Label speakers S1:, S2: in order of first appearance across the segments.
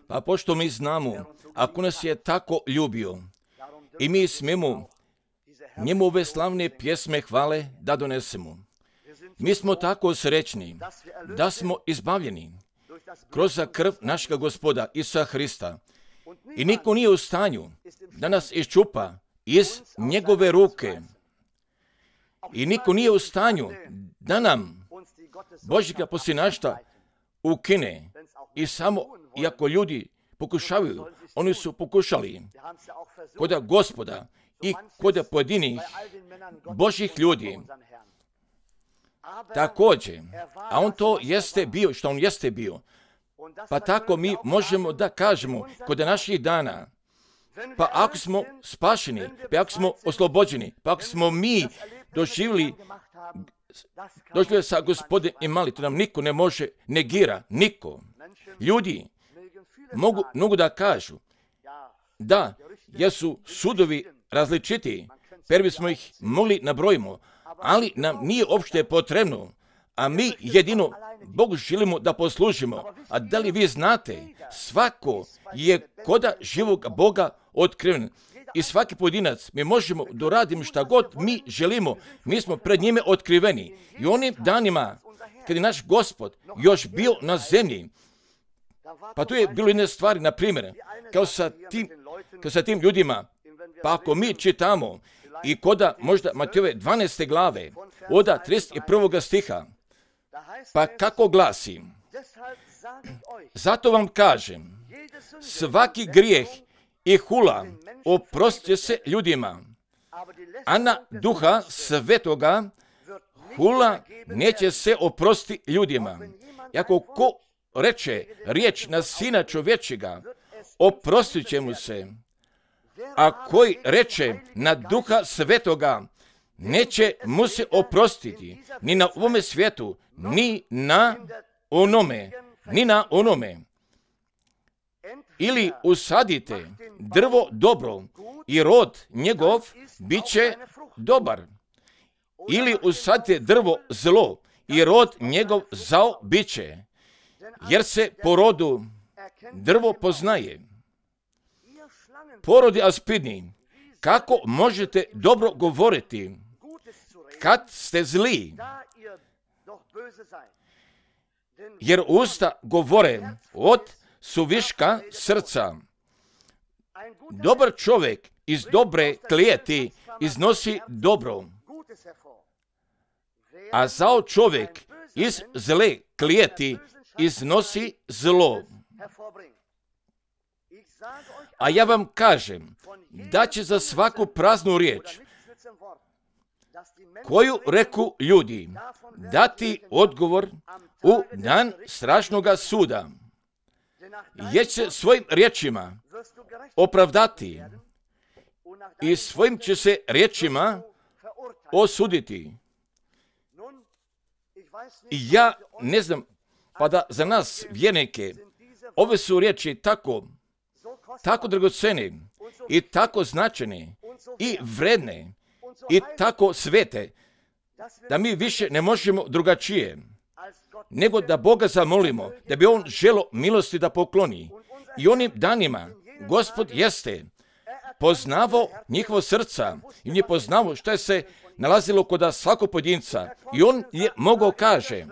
S1: Pa pošto mi znamo, ako nas je tako ljubio, i mi smemo njemu ove slavne pjesme hvale da donesemo. Mi smo tako srećni da smo izbavljeni kroz krv našega Gospoda Isusa Hrista. I niko nije u stanju da nas iščupa iz njegove ruke. I niko nije u stanju da nam Božjega posinašta ukine. I samo, iako ljudi pokušavaju, oni su pokušali kod Gospoda i kod pojedinih Božjih ljudi. Također, a on to jeste bio, što on jeste bio. Pa tako mi možemo da kažemo kod naših dana, pa ako smo spašeni, pa ako smo oslobođeni, pa ako smo mi doživjeli sa Gospodem i mali, to nam niko ne može negira, niko. Ljudi mogu da kažu da jesu sudovi različiti, per bismo ih mogli nabrojimo, ali nam nije uopšte potrebno, a mi jedino Bogu želimo da poslužimo. A da li vi znate, svako je koda živog Boga otkriven. I svaki pojedinac, mi možemo da radimo šta god mi želimo, mi smo pred njime otkriveni. I onim danima, kad je naš Gospod još bio na zemlji, pa tu je bilo jedne stvari, na primjer, kao sa tim ljudima, pa ako mi čitamo i koda možda Matejove 12. glave, od 31. stiha, pa kako glasi, zato vam kažem, svaki grijeh i hula oprostit će se ljudima, a na Duha Svetoga hula neće se oprostiti ljudima. Ako ko reče riječ na Sina čovječega, oprostit će mu se, a koji reče na Duha Svetoga, neće mu se oprostiti ni na ovome svijetu, ni na onome. Ili usadite drvo dobro i rod njegov bit će dobar. Ili usadite drvo zlo i rod njegov zao bit će. Jer se po rodu drvo poznaje. Porodi aspidni, kako možete dobro govoriti kad ste zli? Jer usta govore od suviška srca. Dobar čovjek iz dobre klijeti iznosi dobro, a zao čovjek iz zle klijeti iznosi zlo. A ja vam kažem da će za svaku praznu riječ koju reku ljudi dati odgovor u dan strašnoga suda, jer će svojim riječima opravdati i svojim će se riječima osuditi. I ja ne znam, pa da za nas vjernike ove su riječi tako dragocene i tako značajne i vredne i tako svete, da mi više ne možemo drugačije nego da Boga zamolimo, da bi on želo milosti da pokloni. I onim danima Gospod jeste poznavao njihovo srca i on je poznavao što je se nalazilo kod svakog pojedinca. I on je mogao kaže,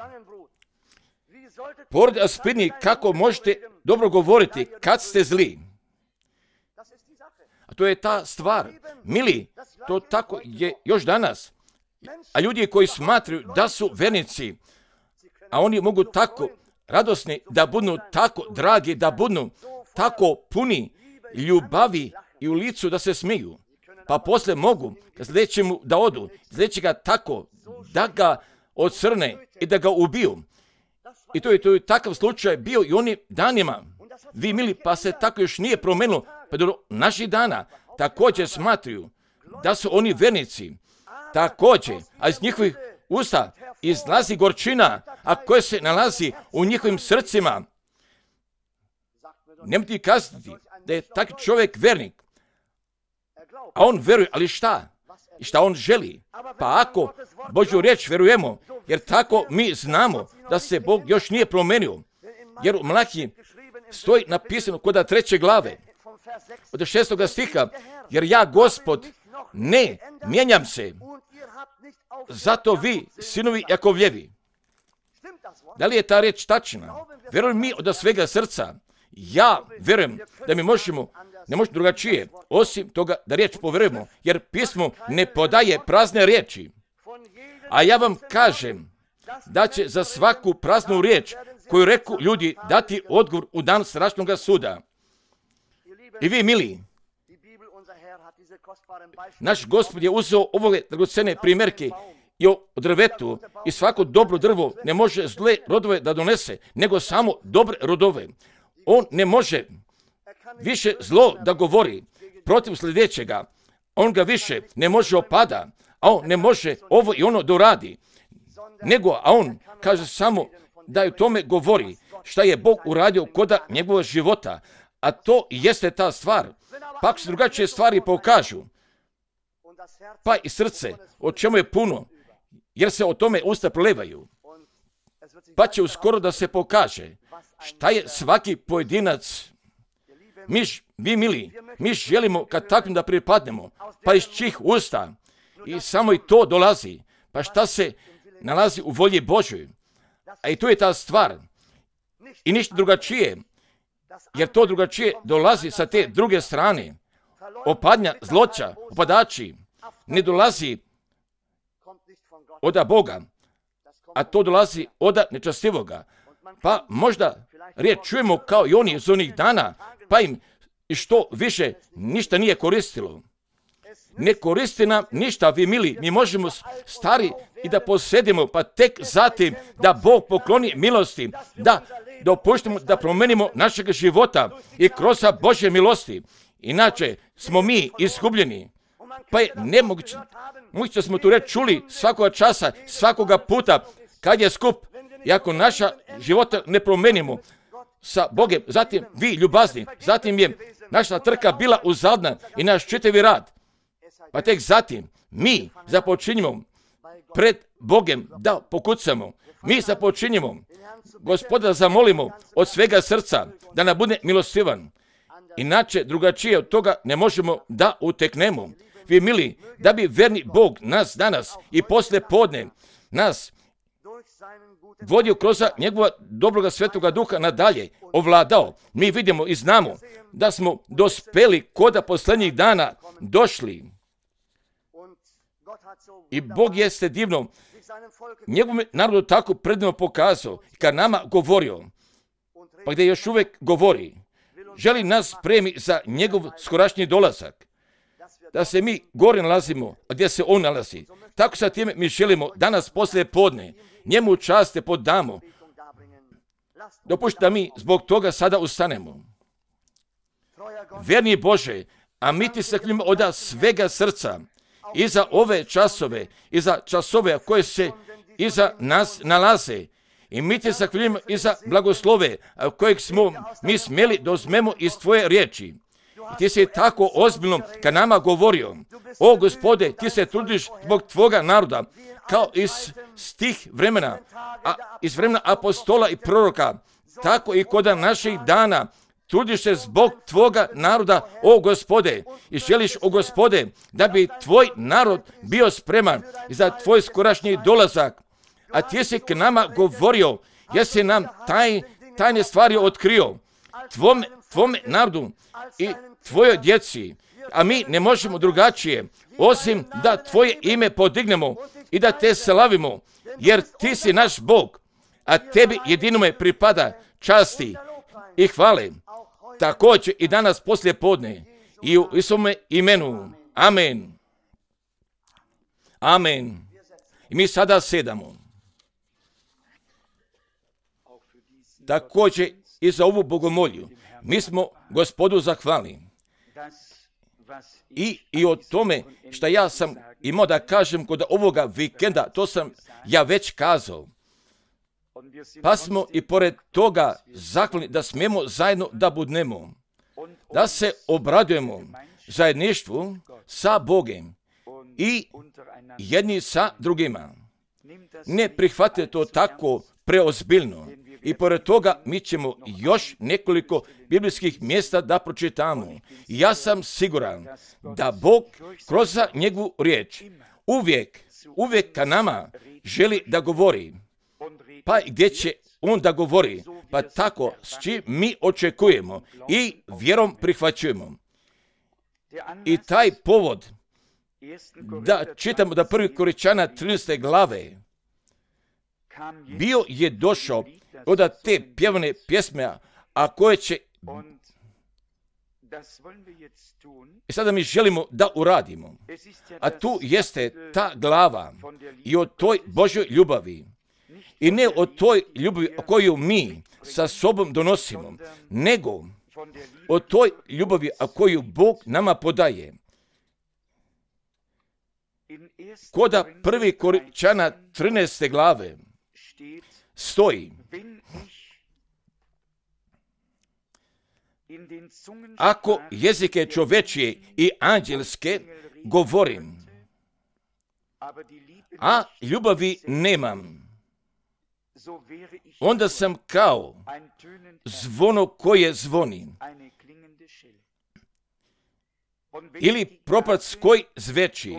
S1: porodi aspidni, kako možete dobro govoriti kad ste zli. A to je ta stvar. Mili, to tako je još danas. A ljudi koji smatraju da su vernici, a oni mogu tako radosni, da budu tako dragi, da budu tako puni ljubavi i u licu da se smiju. Pa poslije mogu sljedećemu da odu, sljedećega tako da ga ocrne i da ga ubiju. I to je takav slučaj bio i onim danima. Vi mili, pa se tako još nije promenilo, pa do naših dana također smatruju da su oni vernici. Također, a iz njihovih usta izlazi gorčina, a koja se nalazi u njihovim srcima. Nemojte kazati da je takav čovjek vernik, a on veruje, ali šta? I šta on želi? Pa ako Božju riječ verujemo, jer tako mi znamo da se Bog još nije promenio. Jer u Mlaki stoji napisano kod 3. glave, od 6. stiha, jer ja, Gospod, ne mijenjam se, zato vi, sinovi Jakovljevi. Da li je ta riječ tačna? Vjerujem mi od svega srca. Ja vjerujem da mi ne možemo drugačije, osim toga da riječ povjerujemo, jer pismo ne podaje prazne riječi. A ja vam kažem da će za svaku praznu riječ koju reku ljudi dati odgovor u dan strašnog suda. I vi, mili, naš Gospod je uzeo ove dragocene primjerke i o drvetu, i svako dobro drvo ne može zle rodove da donese, nego samo dobre rodove. On ne može više zlo da govori protiv sljedećega. On ga više ne može opada, a on ne može ovo i ono da uradi. A on kaže samo da u tome govori šta je Bog uradio koda njegovog života. A to jeste ta stvar. Pa ako se drugačije stvari pokažu, pa i srce, o čemu je puno, jer se o tome usta prolevaju, pa će uskoro da se pokaže šta je svaki pojedinac. Vi mili, mi želimo kad takvim da pripadnemo, pa iz čih usta, i samo i to dolazi, pa šta se nalazi u volji Božoj. A i to je ta stvar. I ništa drugačije, jer to drugačije dolazi sa te druge strane. Opadnja, zloća, opadači, ne dolazi od Boga, a to dolazi od nečastivoga. Pa možda riječ čujemo kao i oni iz onih dana, pa im što više ništa nije koristilo. Ne koristi nam ništa, vi mili, mi možemo stari i da posedimo, pa tek zatim da Bog pokloni milosti, da dopuštimo da promenimo našeg života i kroz Božje milosti. Inače smo mi izgubljeni. Pa je nemoguće, da smo tu reč čuli svakoga časa, svakoga puta kad je skup, i ako naša života ne promenimo sa Bogom, zatim vi ljubazni, zatim je naša trka bila uzadna i naš čitavi rad. Pa tek zatim mi započinjemo pred Bogom da pokucamo. Mi započinjemo Gospoda zamolimo od svega srca da nam bude milostivan. Inače drugačije od toga ne možemo da uteknemo. Vi mili, da bi verni Bog nas danas i poslije podne nas vodio kroz njegova dobroga svetoga duha nadalje, ovladao. Mi vidimo i znamo da smo dospeli koda posljednjih dana došli. I Bog jeste divno njegovom narodu tako predivno pokazao, kad nama govorio, pa gdje još uvijek govori, želi nas spremi za njegov skorašnji dolazak, da se mi gore nalazimo, a gdje se on nalazi. Tako sa time mi želimo danas poslije podne njemu časte podamo. Dopušti da mi zbog toga sada ustanemo. Vjerni Bože, a mi ti se hvalimo od svega srca i za ove časove, i za časove koje se iza nas nalaze. I mi ti se hvalimo i za blagoslove kojeg smo mi smjeli da uzmemo iz tvoje riječi. I ti si tako ozbiljno kad nama govorio, o Gospode, ti se trudiš zbog tvoga naroda, kao iz tih vremena, iz vremena apostola i proroka, tako i kod naših dana, trudiš se zbog tvoga naroda, o Gospode, i želiš, o Gospode, da bi tvoj narod bio spreman za tvoj skorašnji dolazak. A ti si k nama govorio, jesi nam tajne stvari otkrio, tvome narodu i tvojoj djeci, a mi ne možemo drugačije, osim da tvoje ime podignemo i da te slavimo, jer ti si naš Bog, a tebi jedinome pripada časti i hvale. Također i danas poslije podne i u Isovome imenu. Amen. Amen. I mi sada sedamo. Također i za ovu bogomolju. Mi smo Gospodu zahvalni. I o tome što ja sam imao da kažem kod ovoga vikenda, to sam ja već kazao. Pa smo i pored toga zahvalni da smijemo zajedno da budnemo, da se obradujemo zajedništvu sa Bogom i jedni sa drugima. Ne prihvatite to tako preozbiljno, I pored toga mi ćemo još nekoliko biblijskih mjesta da pročitamo. Ja sam siguran da Bog kroz njegovu riječ uvijek ka nama želi da govori. Pa gdje će on da govori? Pa tako s čim mi očekujemo i vjerom prihvaćujemo. I taj povod da čitamo da 1. Korinčana 13. glave bio je došao od te pjevane pjesme, a koje će i sada mi želimo da uradimo. A tu jeste ta glava i o toj Božoj ljubavi. I ne o toj ljubavi koju mi sa sobom donosimo, nego o toj ljubavi koju Bog nama podaje. Koda 1. Korinčana 13. glave stoji: ako jezike čovečije i anđelske govorim, a ljubavi nemam, onda sam kao zvono koje zvoni, ili propac koji zveči.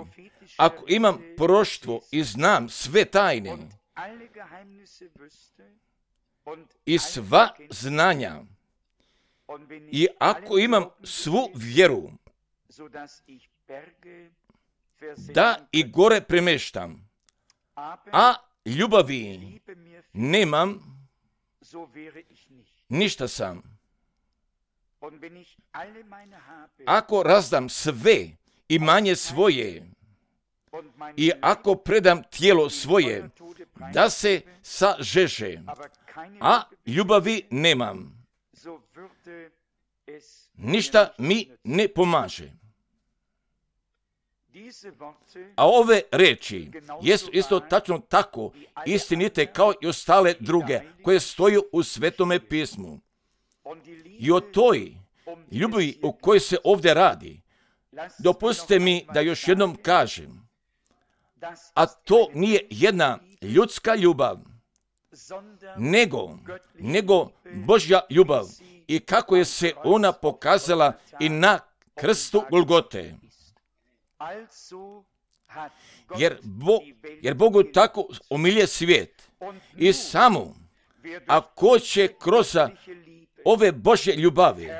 S1: Ako imam proroštvo i znam sve tajne i sva znanja, i ako imam svu vjeru da i gore premeštam, a ljubavi nemam, ništa sam. Ako razdam sve imanje svoje i ako predam tijelo svoje da se sažeže, a ljubavi nemam, ništa mi ne pomaže. A ove reči jesu isto tačno tako istinite kao i ostale druge koje stoju u Svetome pismu. I o toj ljubavi o kojoj se ovdje radi, dopustite mi da još jednom kažem, a to nije jedna ljudska ljubav, nego Božja ljubav, i kako je se ona pokazala i na krstu Golgote. Jer Bogu tako omilje svijet i samo ako će kroz ove Božje ljubavi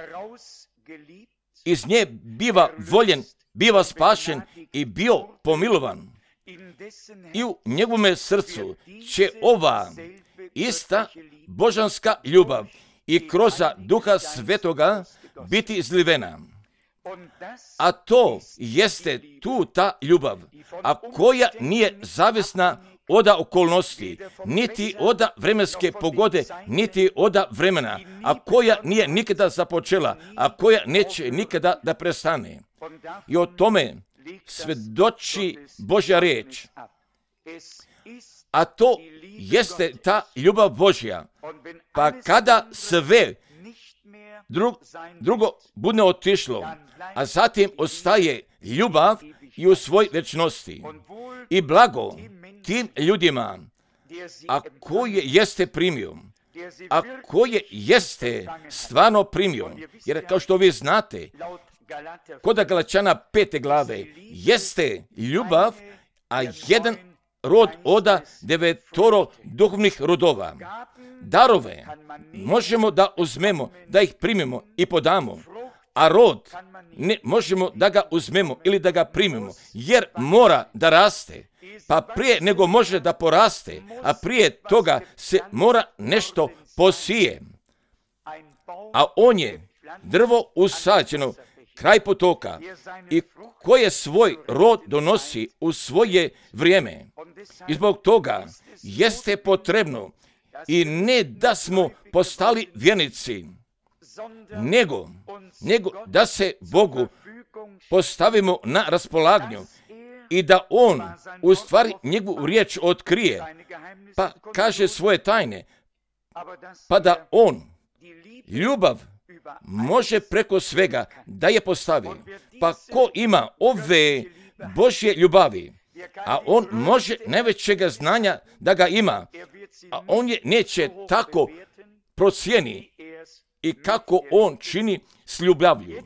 S1: iz nje biva voljen, biva spašen i bio pomilovan, i u njegovome srcu će ova ista božanska ljubav i kroz Duha Svetoga biti izlivena. A to jeste tu ta ljubav, a koja nije zavisna od okolnosti, niti od vremenske pogode, niti od vremena, a koja nije nikada započela, a koja neće nikada da prestane. I o tome svedoči Božja riječ. A to jeste ta ljubav Božja. Pa kada sve drugo bude otišlo, a zatim ostaje ljubav i u svoj večnosti. I blago tim ljudima, a koje jeste primio, a koje jeste stvarno primio. Jer kao što vi znate, kod Galačana 5. glave jeste ljubav, a jedan rod od 9 duhovnih rodova. Darove možemo da uzmemo, da ih primimo i podamo, a rod ne možemo da ga uzmemo ili da ga primimo, jer mora da raste. Pa prije nego može da poraste, a prije toga se mora nešto posije. A on je drvo usađeno kraj potoka i koje svoj rod donosi u svoje vrijeme. I zbog toga jeste potrebno i ne da smo postali vjernici, nego da se Bogu postavimo na raspolaganju i da On u stvari njegovu riječ otkrije, pa kaže svoje tajne, pa da On ljubav može preko svega da je postavi. Pa ko ima ove Božje ljubavi, a on može najvećega znanja da ga ima, a on je neće tako procijeni i kako on čini s ljubavlju.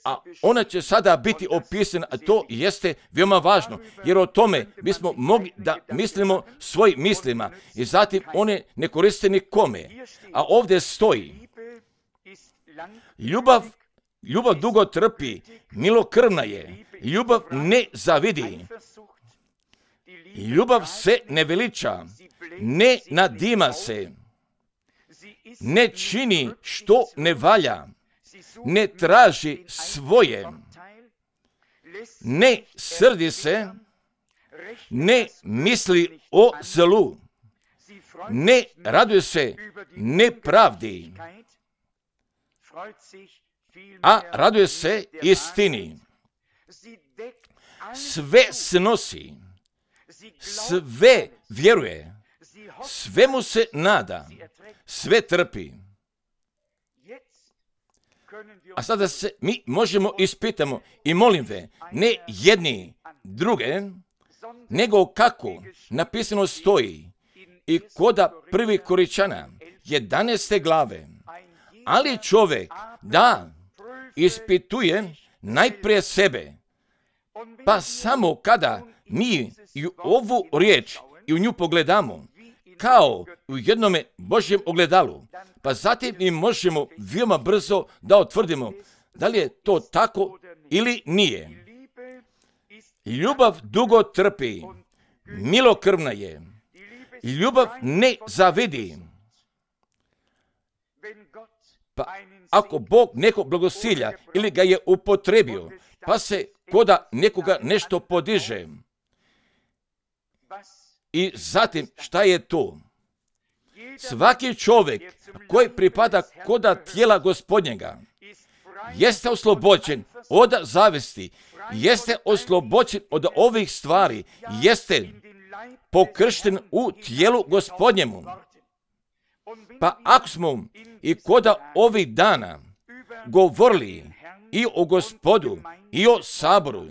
S1: A ona će sada biti opisana, a to jeste veoma važno, jer o tome bismo mogli da mislimo svojim mislima i zatim one ne koriste nikome. A ovdje stoji, ljubav dugo trpi, milokrvna je, ljubav ne zavidi, ljubav se ne veliča, ne nadima se, ne čini što ne valja, ne traži svoje, ne srdi se, ne misli o zlu, ne raduje se nepravdi, a raduje se istini. Sve snosi, sve vjeruje, svemu se nada, sve trpi. A sada se mi možemo ispitamo i molim ve, ne jedni druge, nego kako napisano stoji i koda 1. Korinćana 11. glave. Ali čovjek, da, ispituje najprije sebe, pa samo kada mi i ovu riječ i u nju pogledamo, kao u jednome Božjem ogledalu, pa zatim mi možemo veoma brzo da utvrdimo da li je to tako ili nije. Ljubav dugo trpi, milokrvna je, ljubav ne zavidi. Pa ako Bog nekog blagosilja ili ga je upotrebio, pa se koda nekoga nešto podiže, i zatim šta je to? Svaki čovjek koji pripada koda tijela Gospodnjega jeste oslobođen od zavesti, jeste oslobođen od ovih stvari, jeste pokršten u tijelu Gospodnjemu. Pa ako smo i koda ovih dana govorili i o Gospodu i o saboru,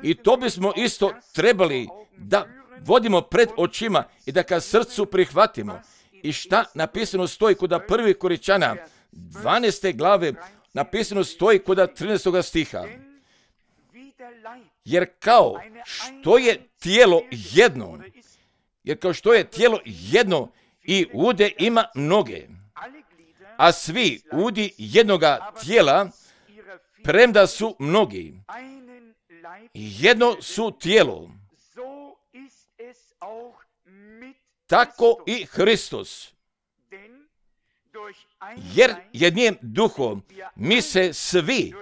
S1: i to bismo isto trebali da vodimo pred očima i da ka srcu prihvatimo. I šta napisano stoji kod 1. Korinćana 12. glave, napisano stoji kod 13. stiha. Jer kao što je tijelo jedno, i ude ima mnoge, a svi udi jednoga tijela, premda su mnogi, jedno su tijelo. Tako i Hristos. Jer jednim duhom mi se svi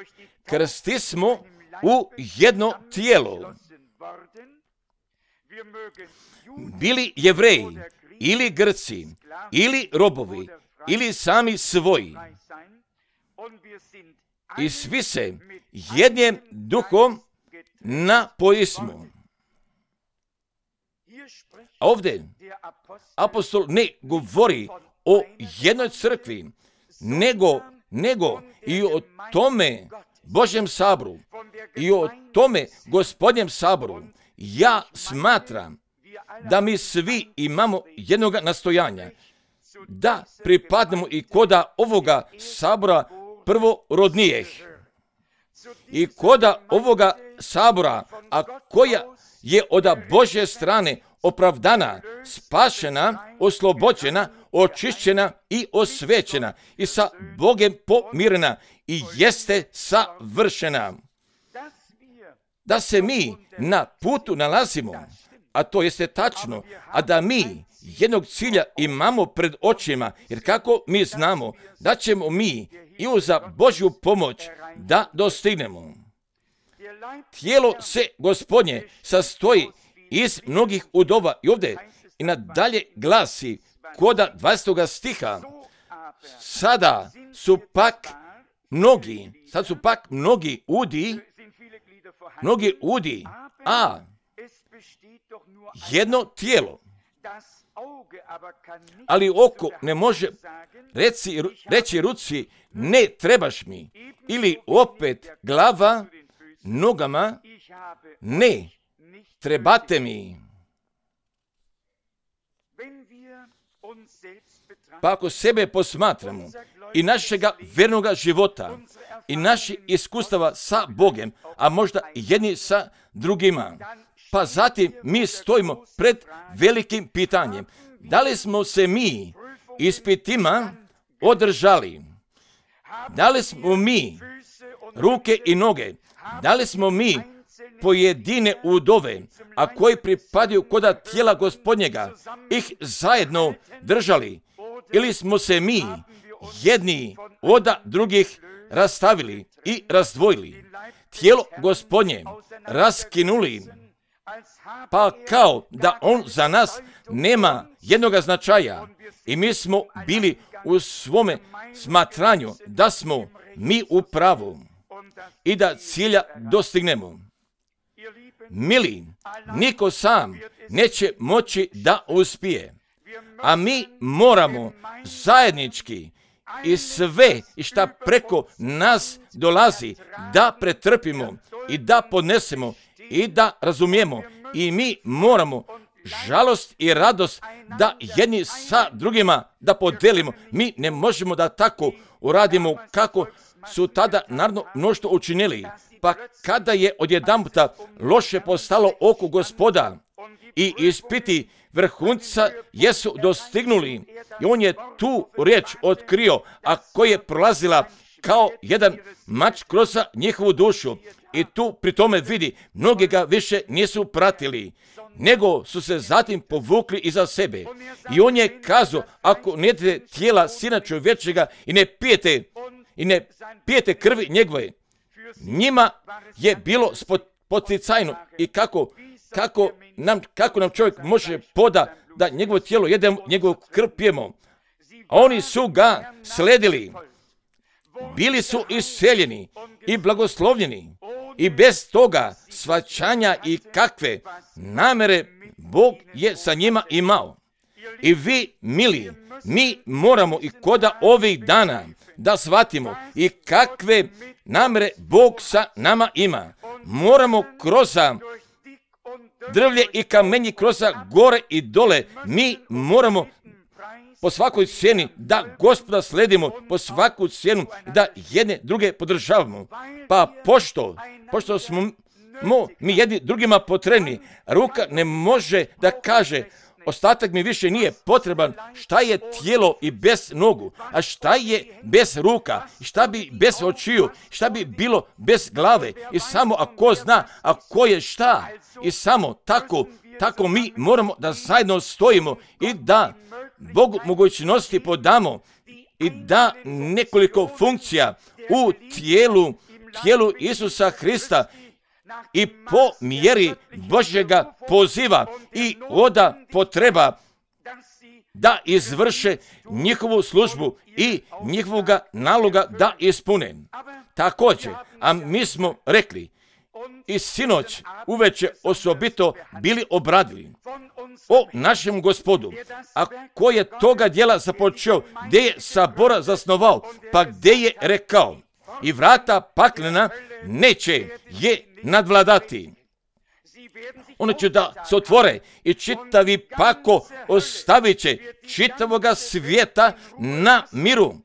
S1: krstismo u jedno tijelo. Bili Jevreji, ili Grci, ili robovi, ili sami svoji. I svi se jednim duhom napojismo. A ovdje apostol ne govori o jednoj crkvi, nego i o tome Božjem saboru i o tome Gospodnjem saboru. Ja smatram da mi svi imamo jednoga nastojanja, da pripadnemo i koda ovoga sabora prvorodnijih. I koda ovoga sabora, a koja je od Božje strane opravdana, spašena, oslobođena, očišćena i osvećena i sa Bogem pomirena i jeste savršena. Da se mi na putu nalazimo, a to jeste tačno, a da mi jednog cilja imamo pred očima, jer kako mi znamo da ćemo mi i uz Božju pomoć da dostignemo. Tijelo se Gospodnje sastoji iz mnogih udova i ovdje i nadalje glasi koda 20. stiha. Sada su pak mnogi udi, a jedno tijelo. Ali oko ne može reći ruci ne trebaš mi, ili opet glava nogama ne trebate mi. Pa ako sebe posmatramo i našega vernoga života i naših iskustava sa Bogom, a možda jedni sa drugima, pa zatim mi stojimo pred velikim pitanjem. Da li smo se mi ispitima održali? Da li smo mi ruke i noge? Da li smo mi pojedine udove, a koji pripadaju koda tijela Gospodnjega, ih zajedno držali? Ili smo se mi jedni od drugih rastavili i razdvojili, tijelo Gospodnje raskinuli, pa kao da on za nas nema jednoga značaja i mi smo bili u svome smatranju da smo mi u pravu i da cilja dostignemo. Mili, niko sam neće moći da uspije, a mi moramo zajednički i sve i šta preko nas dolazi da pretrpimo i da podnesemo i da razumijemo, i mi moramo žalost i radost da jedni sa drugima da podelimo. Mi ne možemo da tako uradimo kako su tada narodno mnoštvo učinili. Pa kada je odjedanputa loše postalo oko Gospoda i ispiti vrhunca jesu dostignuli, i on je tu riječ otkrio, a koja je prolazila kao jedan mač kroz njihovu dušu. I tu pri tome vidi, mnogi ga više nisu pratili, nego su se zatim povukli iza sebe. I on je kazao, ako ne jedete tijela Sina čovječega i ne pijete krvi njegove, njima je bilo poticajno. I kako nam čovjek može poda da njegovo tijelo jedemo, njegovu krv pijemo? A oni su ga sledili. Bili su iseljeni i blagoslovljeni. I bez toga shvaćanja i kakve namere Bog je sa njima imao. I vi, mili, mi moramo i koda ovih dana da shvatimo i kakve namere Bog sa nama ima. Moramo kroz drvlje i kamenje, kroz gore i dole, mi moramo po svakoj cijeni da Gospoda sledimo, po svaku cijenu da jedne druge podržavamo. Pa pošto smo mi jedni drugima potrebni, ruka ne može da kaže ostatak mi više nije potreban. Šta je tijelo i bez nogu? A šta je bez ruka? I šta bi bez očiju? Šta bi bilo bez glave? I samo ako zna, a ko je šta? I samo tako mi moramo da zajedno stojimo i da Bogu mogućnosti podamo i da nekoliko funkcija u tijelu Isusa Hrista i po mjeri Božjega poziva i oda potreba da izvrše njihovu službu i njihovoga naloga da ispune. Također, a mi smo rekli i sinoć uveče osobito bili obradili o našem Gospodu, a ko je toga djela započeo, gdje je sabora zasnovao, pa gdje je rekao, i vrata paklena neće je nadvladati. Ono će da se otvore i čitavi pako ostavit će čitavoga svijeta na miru,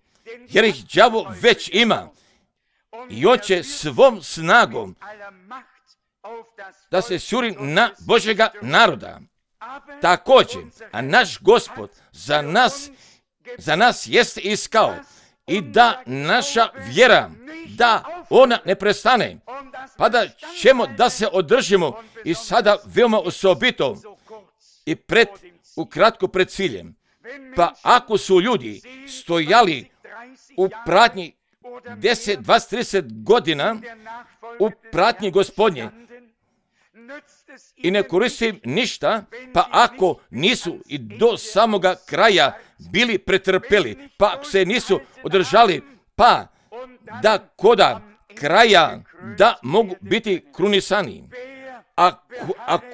S1: jer ih đavo već ima. I on će svom snagom da se šuri na Božjega naroda. Također, a naš Gospod za nas jeste iskao i da naša vjera, da ona ne prestane, pa da ćemo da se održimo i sada veoma osobito i ukratko pred ciljem. Pa ako su ljudi stojali u pratnji 10, 20, 30 godina u pratnji Gospodnje i ne koristim ništa, pa ako nisu i do samoga kraja bili pretrpeli, pa ako se nisu održali, pa da koda kraja da mogu biti krunisani, a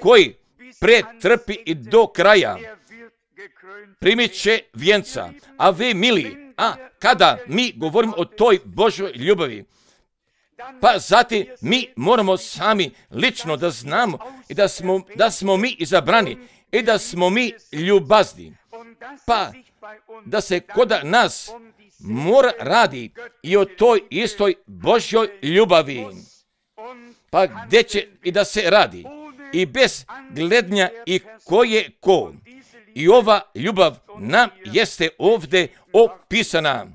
S1: koji pretrpi i do kraja primit će vjenca. A vi, mili, kada mi govorimo o toj Božoj ljubavi, pa zatim mi moramo sami lično da znamo i da smo mi izabrani i da smo mi ljubazni, pa da se kod nas mora radi i o toj istoj Božjoj ljubavi. Pa gdje će i da se radi i bez gledanja i ko je ko. I ova ljubav nam jeste ovdje opisana.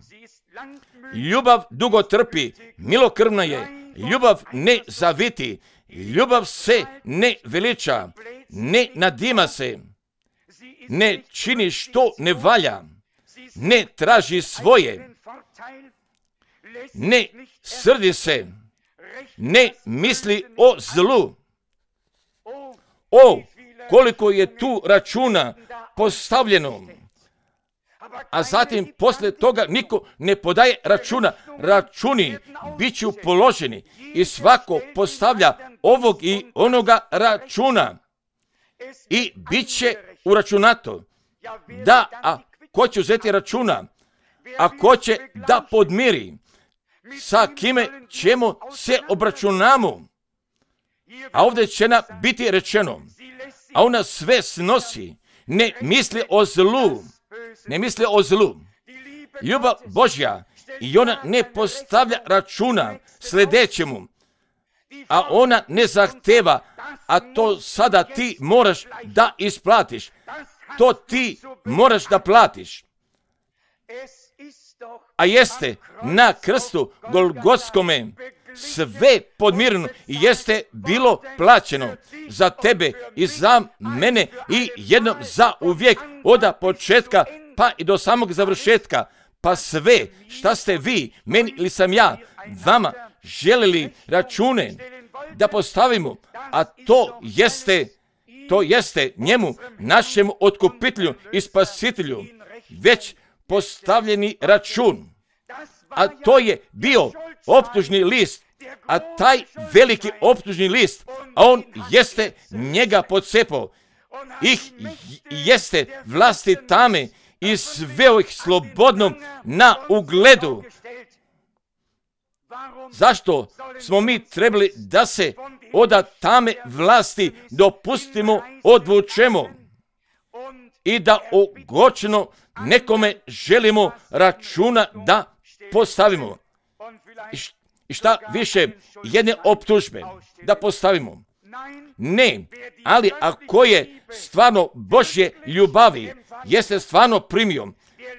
S1: Ljubav dugo trpi, milokrvna je, ljubav ne zaviti, ljubav se ne veliča, ne nadima se, ne čini što ne valja, ne traži svoje, ne srdi se, ne misli o zlu. O, koliko je tu računa postavljeno. A zatim poslije toga niko ne podaje računa. Računi bit ću položeni i svako postavlja ovog i onoga računa. I bit će uračunato. Da, a ko će uzeti računa? A ko će da podmiri? Sa kime ćemo se obračunamo? A ovdje će nam biti rečeno, a ona sve snosi, ne misli o zlu. Ne misli o zlu. Ljubav Božja i ona ne postavlja računa sljedećemu, a ona ne zahteva, a to sada ti moraš da isplatiš. To ti moraš da platiš. A jeste na krstu Golgotskome sve podmireno i jeste bilo plaćeno za tebe i za mene i jednom za uvijek od početka pa i do samog završetka. Pa sve šta ste vi, meni ili sam ja, vama želeli račune da postavimo, a to jeste njemu, našemu otkupitelju i spasitelju, već postavljeni račun. A to je bio optužni list, a taj veliki optužni list, a on jeste njega pocepao, ih jeste vlasti tame i sveo ih slobodnom na ugledu. Zašto smo mi trebali da se od tame vlasti dopustimo, odvučemo i da ogorčeno nekome želimo računa da postavimo? I šta više, jedne optužbe da postavimo? Ne, ali ako je stvarno Božje ljubavi, jeste stvarno primio,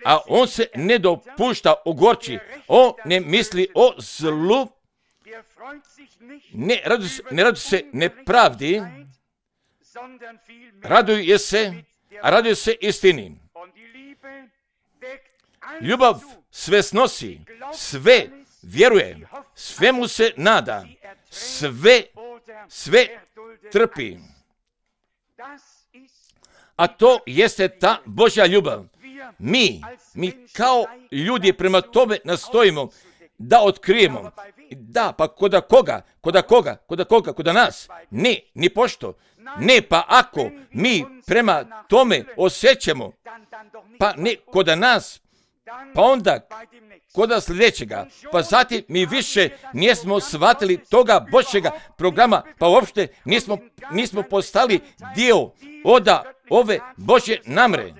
S1: a on se ne dopušta ogorči, on ne misli o zlu, ne radi se nepravdi, raduje se istini. Ljubav sve snosi, sve vjeruje, svemu se nada, sve trpi. A to jeste ta Božja ljubav. Mi kao ljudi prema tome nastojimo da otkrijemo. Da, pa koda koga? Koda nas? Ne, ni pošto. Ne, pa ako mi prema tome osjećamo, pa ne koda nas, pa onda koda sljedećega, pa zatim mi više nismo shvatili toga Božjega programa, pa uopšte nismo postali dio od ove Božje namre.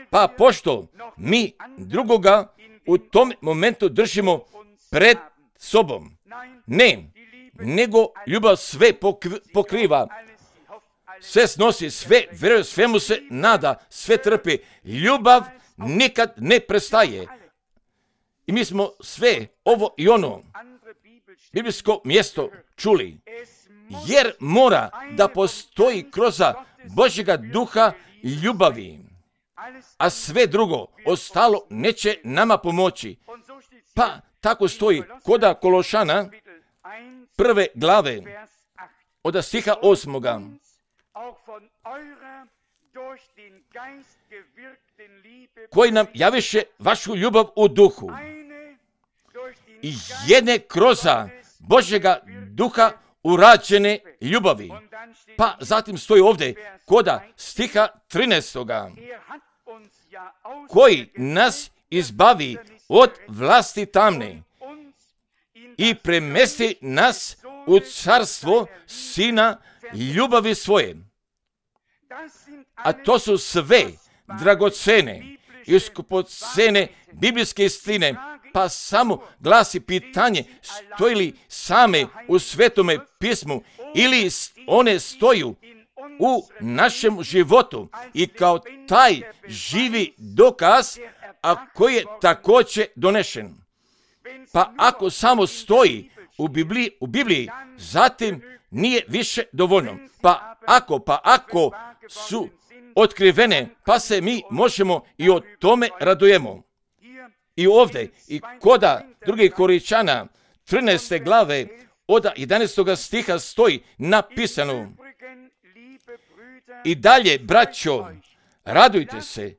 S1: Pa pošto mi drugoga u tom momentu držimo pred sobom, ne, nego ljubav sve pokriva, sve snosi, sve vjeruje, svemu se nada, sve trpi. Ljubav nikad ne prestaje. I mi smo sve ovo i ono biblijsko mjesto čuli, jer mora da postoji kroz Božjega duha ljubavi, a sve drugo ostalo neće nama pomoći. Pa tako stoji koda Kološana 1. glave od stiha 8. Koji nam javiše vašu ljubav u duhu i jedne kroz Božjega duha urađene ljubavi. Pa zatim stoji ovdje koda stiha 13. koji nas izbavi od vlasti tamne i premesti nas u carstvo Sina ljubavi svoje. A to su sve dragocene i skupocene biblijske istine, pa samo glasi pitanje, stoji li same u Svetome pismu ili one stoju u našem životu i kao taj živi dokaz, a koji je također donešen. Pa ako samo stoji u Bibliji, zatim nije više dovoljno. Pa ako su otkrivene, pa se mi možemo i o tome radujemo. I ovdje, i koda 2. Korinćana 13. glave od 11. stiha stoji napisano: i dalje, braćo, radujte se,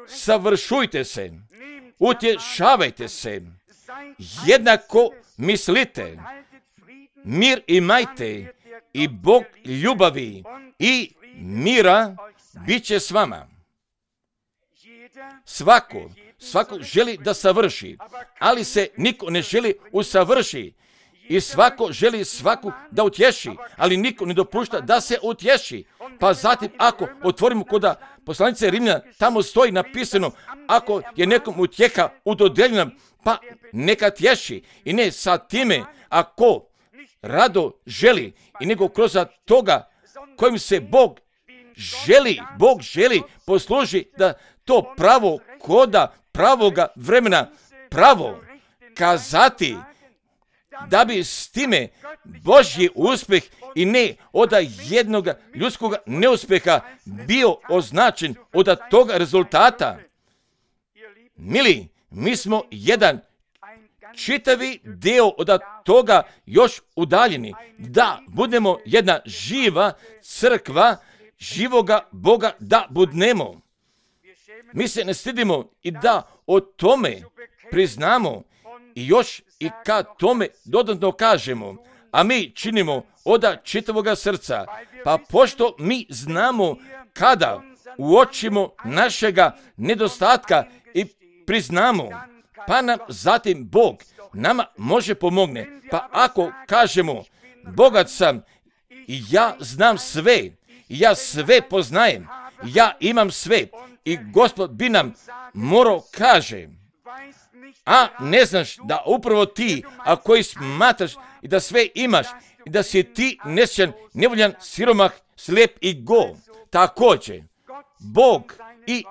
S1: savršujte se, utješavajte se, jednako mislite, mir imajte i Bog ljubavi i mira bit će s vama. Svako želi da savrši, ali se niko ne želi usavrši. I svako želi svaku da utješi, ali niko ne dopušta da se utješi. Pa zatim, ako otvorimo kod poslanice Rimljana, tamo stoji napisano, ako je nekom utjeha udodeljena, pa neka tješi. I ne sa time, ako rado želi, i nego kroz toga kojim se Bog želi posluži da to pravo koda pravoga vremena pravo kazati, da bi s time Božji uspjeh i ne od jednog ljudskog neuspjeha bio označen od toga rezultata. Mili, mi smo jedan čitavi dio od toga još udaljeni, da budemo jedna živa crkva, živoga Boga da budnemo. Mi se ne stidimo i da o tome priznamo i još i kad tome dodatno kažemo, a mi činimo od čitavoga srca, pa pošto mi znamo kada uočimo našega nedostatka i priznamo, pa nam zatim Bog nama može pomogne. Pa ako kažemo, bogat sam i ja znam sve, ja sve poznajem, ja imam sve, i Gospod bi nam morao kaže, a ne znaš da upravo ti, a koji smatraš i da sve imaš, i da si ti nesrećan, nevoljan, siromah, slijep i go. Također, Bog i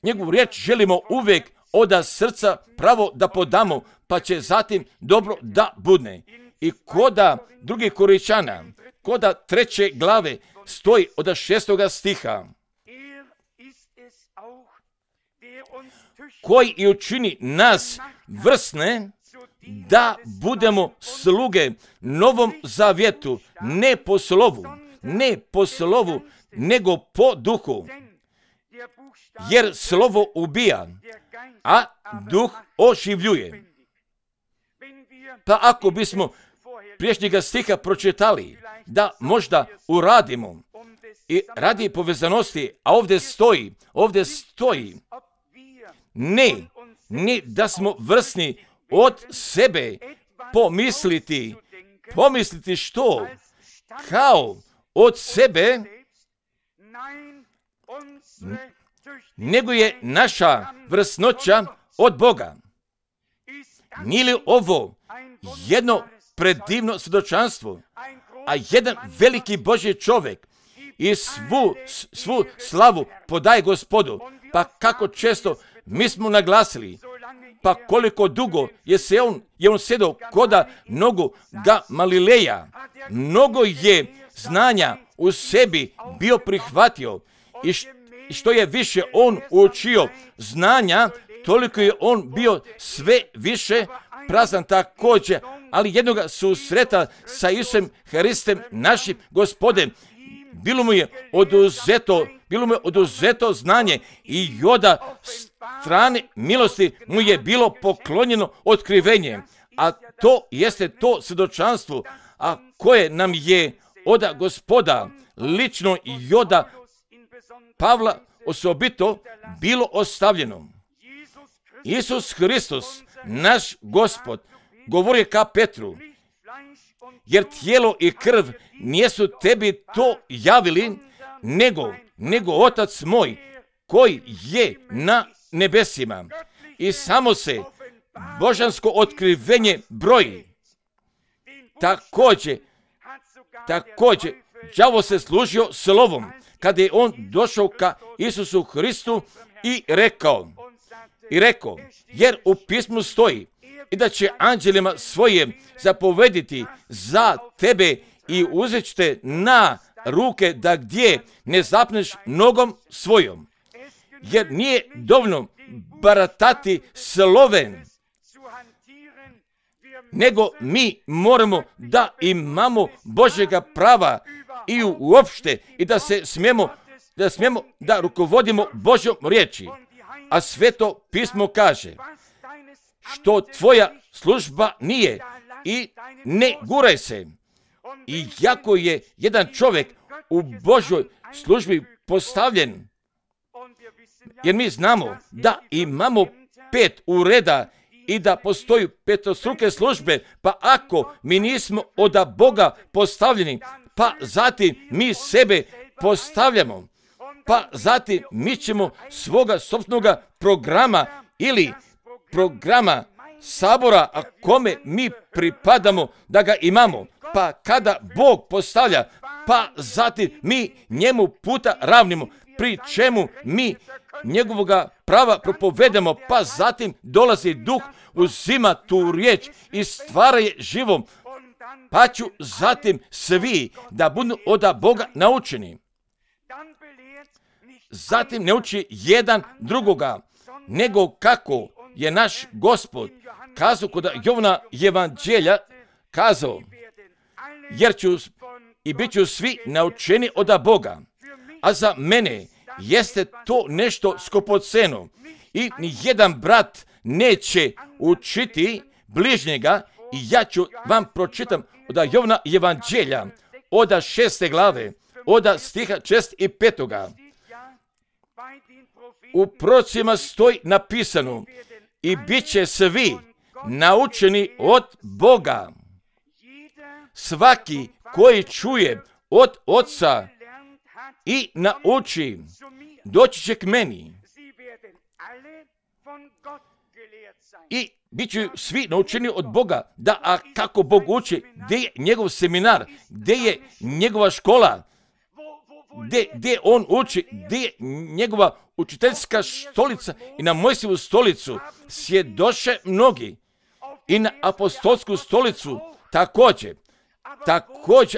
S1: njegovu riječ želimo uvijek od srca pravo da podamo, pa će zatim dobro da budne. I koda 2. Korinćana, koda 3. glave stoji od 6. stiha, koji i učini nas vrsne da budemo sluge Novom zavjetu, ne po slovu, nego po duhu. Jer slovo ubija, a duh oživljuje. Pa ako bismo priješnjega stiha pročitali, da možda uradimo i radi povezanosti, a ovdje stoji, ne da smo vrsni od sebe pomisliti što? Kao od sebe, nego je naša vrsnoća od Boga. Nije li ovo jedno predivno svjedočanstvo, a jedan veliki Božji čovjek i svu slavu podaje Gospodu, pa kako često mi smo naglasili, pa koliko dugo je on sjedao koda nogu Gamalileja, mnogo je znanja u sebi bio prihvatio i što je više on učio znanja, toliko je on bio sve više prazan također, ali jednoga susreta sa Isusom Hristom našim Gospodem, bilo mu je oduzeto znanje i od strane milosti mu je bilo poklonjeno otkrivenje, a to jeste to svjedočanstvo, a koje nam je od Gospoda lično i od Pavla osobito bilo ostavljeno. Isus Hristos, naš Gospod, govori ka Petru, jer tijelo i krv nisu tebi to javili, nego Otac moj koji je na nebesima. I samo se božansko otkrivenje broji. Također, đavo se služio slovom kada je on došao ka Isusu Hristu i rekao, jer u pismu stoji i da će anđelima svojim zapovediti za tebe i uzet će te na ruke da gdje ne zapneš nogom svojom. Jer nije dovoljno baratati slovem, nego mi moramo da imamo Božjega prava i uopšte i da smijemo da rukovodimo Božjom riječi. A Sveto pismo kaže, što tvoja služba nije i ne guraj se. I jako je jedan čovjek u Božjoj službi postavljen, jer mi znamo da imamo 5 ureda i da postoji petostruke službe, pa ako mi nismo od Boga postavljeni, pa zatim mi sebe postavljamo, pa zatim mi ćemo svoga sopstvenoga programa ili programa sabora, a kome mi pripadamo da ga imamo, pa kada Bog postavlja, pa zatim mi njemu puta ravnimo, pri čemu mi njegovoga prava propovedamo, pa zatim dolazi Duh, uzima tu riječ i stvara je živom, pa ću zatim svi da budu od Boga naučeni. Zatim ne uči jedan drugoga, nego kako je naš Gospod kazao kod Jovana evanđelja, kazao, jer ću i bit ću svi naučeni od Boga. A za mene jeste to nešto skupoceno i nijedan brat neće učiti bližnjega. I ja ću vam pročitam od Jovana evanđelja, od 6. glave, od stiha 6. i 5. U prorocima stoji napisano, i bit će svi naučeni od Boga. Svaki koji čuje od Oca i nauči, doći će k meni. I bit će svi naučeni od Boga. Da, a kako Bog uči? Gdje je njegov seminar? Gdje je njegova škola? Gdje on uči? Gdje je njegova učiteljska stolica? I na Mojsijevu stolicu sjedoše mnogi. I na apostolsku stolicu također.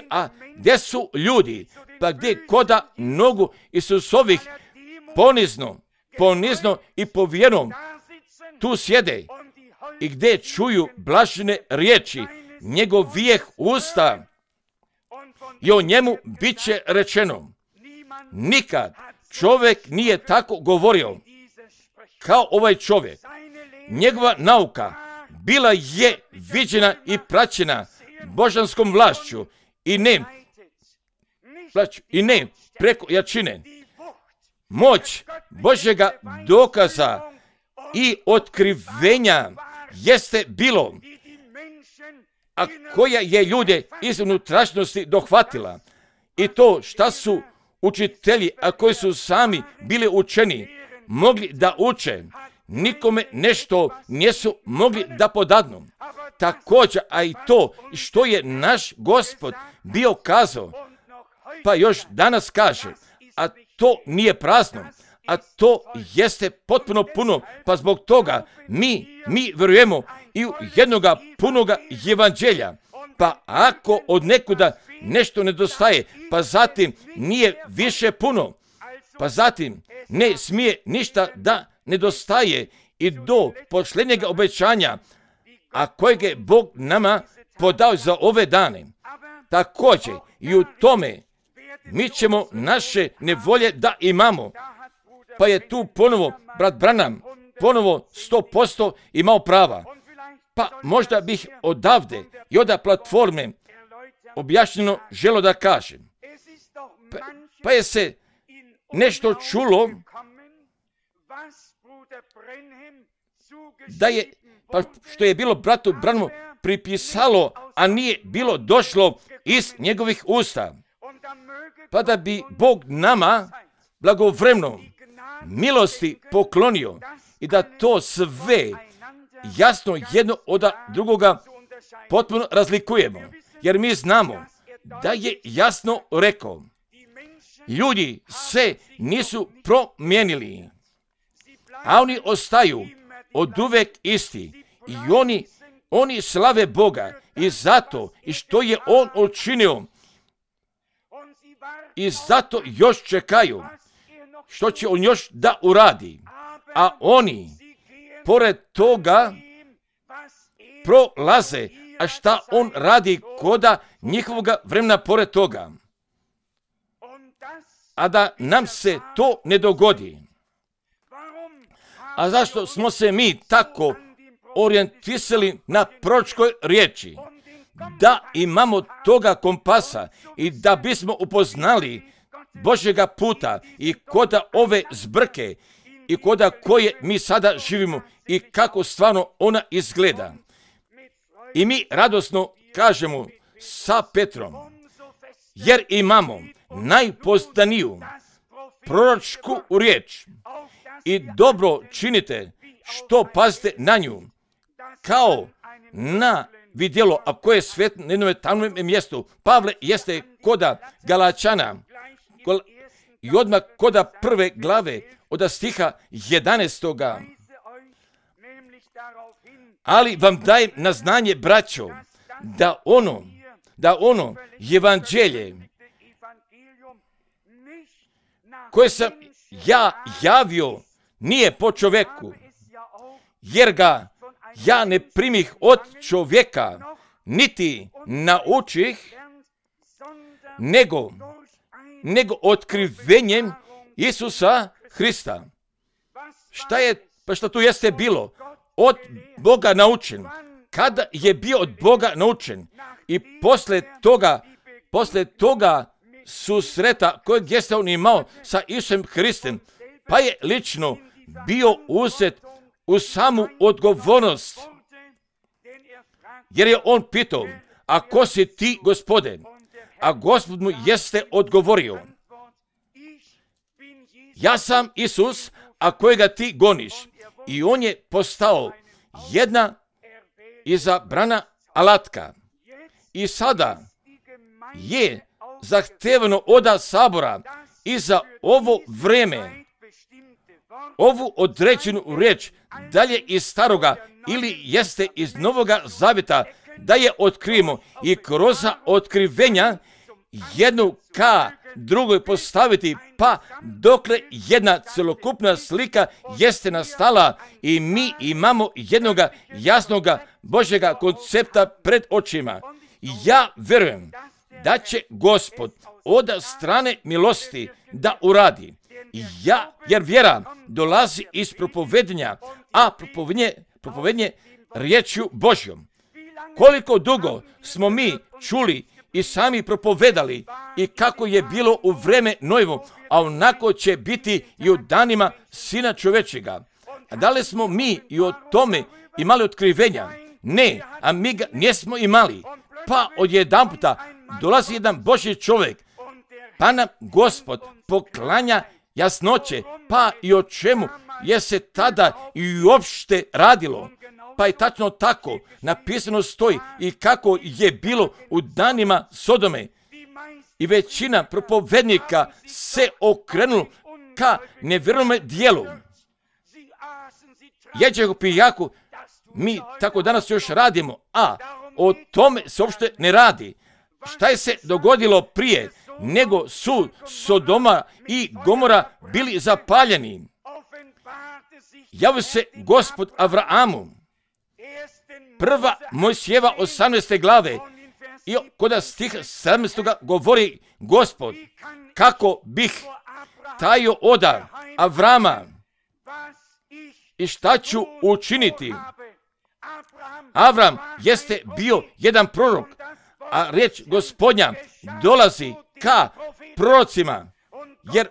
S1: A gdje su ljudi? Pa gdje koda nogu Isusovih ponizno i povjerno tu sjede i gdje čuju blažene riječi njegovih usta i o njemu bit će rečeno. Nikad čovjek nije tako govorio kao ovaj čovjek. Njegova nauka bila je viđena i praćena božanskom vlašću i ne preko jačine. Moć Božjega dokaza i otkrivenja jeste bilo, a koja je ljude iz unutrašnjosti dohvatila. I to šta su učitelji, a koji su sami bili učeni, mogli da uče, nikome nešto nisu mogli da podadnu. Također, a i to što je naš Gospod bio kazao, pa još danas kaže, a to nije prazno, a to jeste potpuno puno, pa zbog toga mi vjerujemo i u jednoga punoga evanđelja. Pa ako od nekuda nešto nedostaje, pa zatim nije više puno, pa zatim ne smije ništa da nedostaje i do posljednjega obećanja, a kojeg je Bog nama podao za ove dane. Također i u tome mi ćemo naše nevolje da imamo. Pa je tu ponovo brat Branham ponovo 100% imao prava. Pa možda bih odavde i od platforme objašnjeno želo da kažem. Pa je se nešto čulo da je, pa što je bilo bratu Branhamu pripisalo, a nije bilo došlo iz njegovih usta. pa da bi Bog nama blagovremeno milosti poklonio i da to sve jasno jedno od drugoga potpuno razlikujemo. Jer mi znamo da je jasno rekao, ljudi se nisu promijenili, a oni ostaju oduvek isti i oni slave Boga i zato i što je On učinio i zato još čekaju što će On još da uradi, a oni pored toga prolaze, a šta On radi koda njihovoga vremena pored toga. A da nam se to ne dogodi. A zašto smo se mi tako orijentisali na proročkoj riječi? Da imamo toga kompasa i da bismo upoznali Božjega puta i koda ove zbrke i koda koje mi sada živimo i kako stvarno ona izgleda. I mi radosno kažemo sa Petrom, jer imamo najpoznaniju proročku riječ i dobro činite što pazite na nju, kao na vidjelo, a koje je svet na jednom tamnom mjestu. Pavle jeste koda Galačana i odmah koda prve glave od stiha 11. Ali vam dajem na znanje, braćo, da ono evanđelje koje sam ja javio nije po čovjeku, jer ga ja ne primih od čovjeka, niti naučih, nego otkrivenjem Isusa Hrista. Šta je, pa što tu jeste bilo? Od Boga naučen. Kada je bio od Boga naučen i posle toga susreta kojeg jeste on imao sa Isusom Hristom, pa je lično bio uzet u samu odgovornost. Jer je on pitao, a ko si ti, Gospode? A Gospod mu jeste odgovorio, ja sam Isus, a kojega ti goniš. I on je postao jedna izabrana alatka. I sada je zahtevano od sabora i za ovo vreme, ovu određenu riječ, dalje iz staroga ili jeste iz Novoga Zavjeta, da je otkrijemo i kroz otkrivenja jednu ka drugoj postaviti, pa dokle jedna celokupna slika jeste nastala i mi imamo jednoga jasnoga Božjega koncepta pred očima. Ja verujem da će Gospod od strane milosti da uradi. Jer vjera dolazi iz propovedanja, a propovedanje riječju Božjom. Koliko dugo smo mi čuli i sami propovedali i kako je bilo u vreme Nojevo, a onako će biti i u danima Sina čovečega. A da li smo mi i o tome imali otkrivenja? Ne, a mi ga nismo imali. Pa odjedanputa dolazi jedan Božji čovjek, pa nam Gospod poklanja jasnoće, pa i o čemu je se tada i uopšte radilo. Pa je tačno tako napisano stoji i kako je bilo u danima Sodome. I većina propovednika se okrenula ka nevjernome dijelu. Jeđehu pijaku, mi tako danas još radimo, a o tome se uopšte ne radi. Šta je se dogodilo prije nego su Sodoma i Gomora bili zapaljeni? Javio se Gospod Avraamu. Prva Mojsijeva 18. glave i kod stiha 17. govori Gospod, kako bih tajio oda Avrama i šta ću učiniti. Avram jeste bio jedan prorok, a riječ Gospodnja dolazi ka prorocima, jer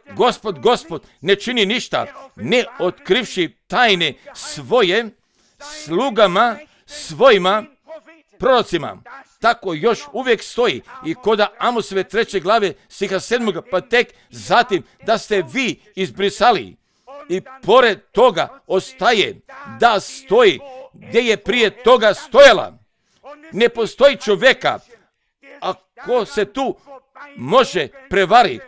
S1: Gospod ne čini ništa, ne otkrivši tajne svoje slugama, svojima prorocima. tako još uvijek stoji i koda Amosove 3. glave stiha 7. pa tek zatim da ste vi izbrisali. I pored toga ostaje da stoji gdje je prije toga stojala. Ne postoji čovjeka ako se tu može prevari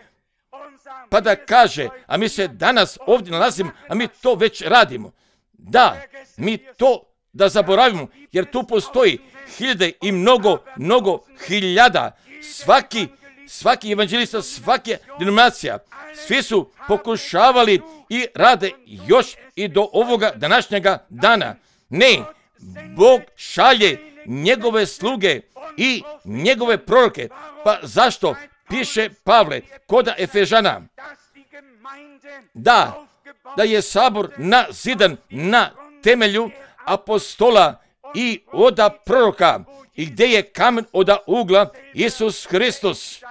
S1: pa da kaže, a mi se danas ovdje nalazimo, a mi to već radimo. Da, mi to da zaboravimo, jer tu postoji hiljade i mnogo hiljada. Svaki evanđelista, svaka denominacija, svi su pokušavali i rade još i do ovoga današnjega dana. Ne, Bog šalje njegove sluge i njegove proroke. Pa zašto? Piše Pavle kod Efežana da je sabor nazidan na temelju apostola i oda proroka i gdje je kamen oda ugla Isus Hristos.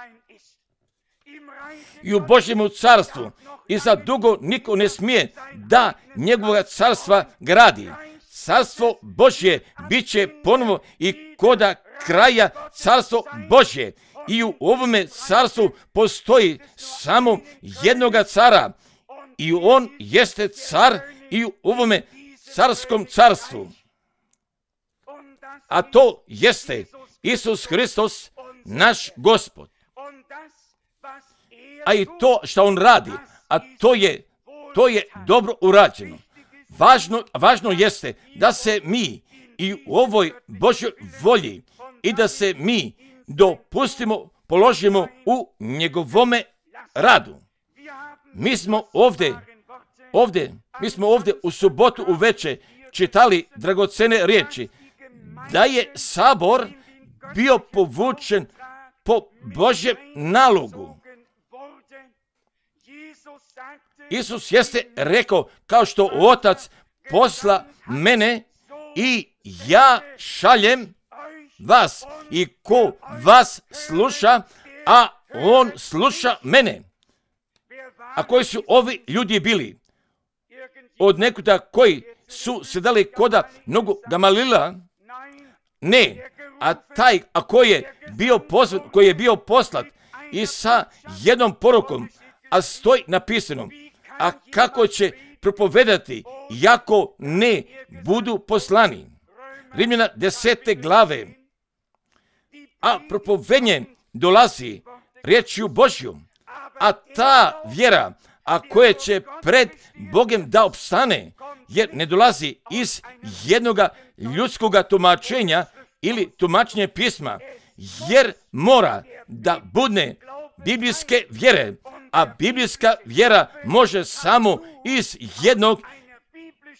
S1: I u Božjemu carstvu i za dugo niko ne smije da njegovog carstva gradi. Carstvo Božje bit će ponovo i koda kraja carstvo Božje. I u ovome carstvu postoji samo jednoga cara. I on jeste car i u ovome carskom carstvu. A to jeste Isus Hristos, naš Gospod. A i to što on radi, a to je dobro urađeno. Važno jeste da se mi i u ovoj Božjoj volji i da se mi dopustimo, položimo u njegovome radu. Mi smo ovdje u subotu uveče čitali dragocene riječi da je sabor bio povučen po Božjem nalogu. Isus jeste rekao, kao što Otac posla mene i ja šaljem vas, i ko vas sluša, a on sluša mene. A koji su ovi ljudi bili? Od nekuda koji su sedali koda nogu Gamalila? Ne, a taj koji je bio poslat i sa jednom porukom, a stoji napisano, a kako će propovedati jako ne budu poslani. Rimljana 10. glave. A propovednje dolazi riječju Božjom, a ta vjera, a koja će pred Bogom da opstane, jer ne dolazi iz jednoga ljudskoga tumačenja ili tumačenja pisma, jer mora da bude biblijske vjere, a biblijska vjera može samo iz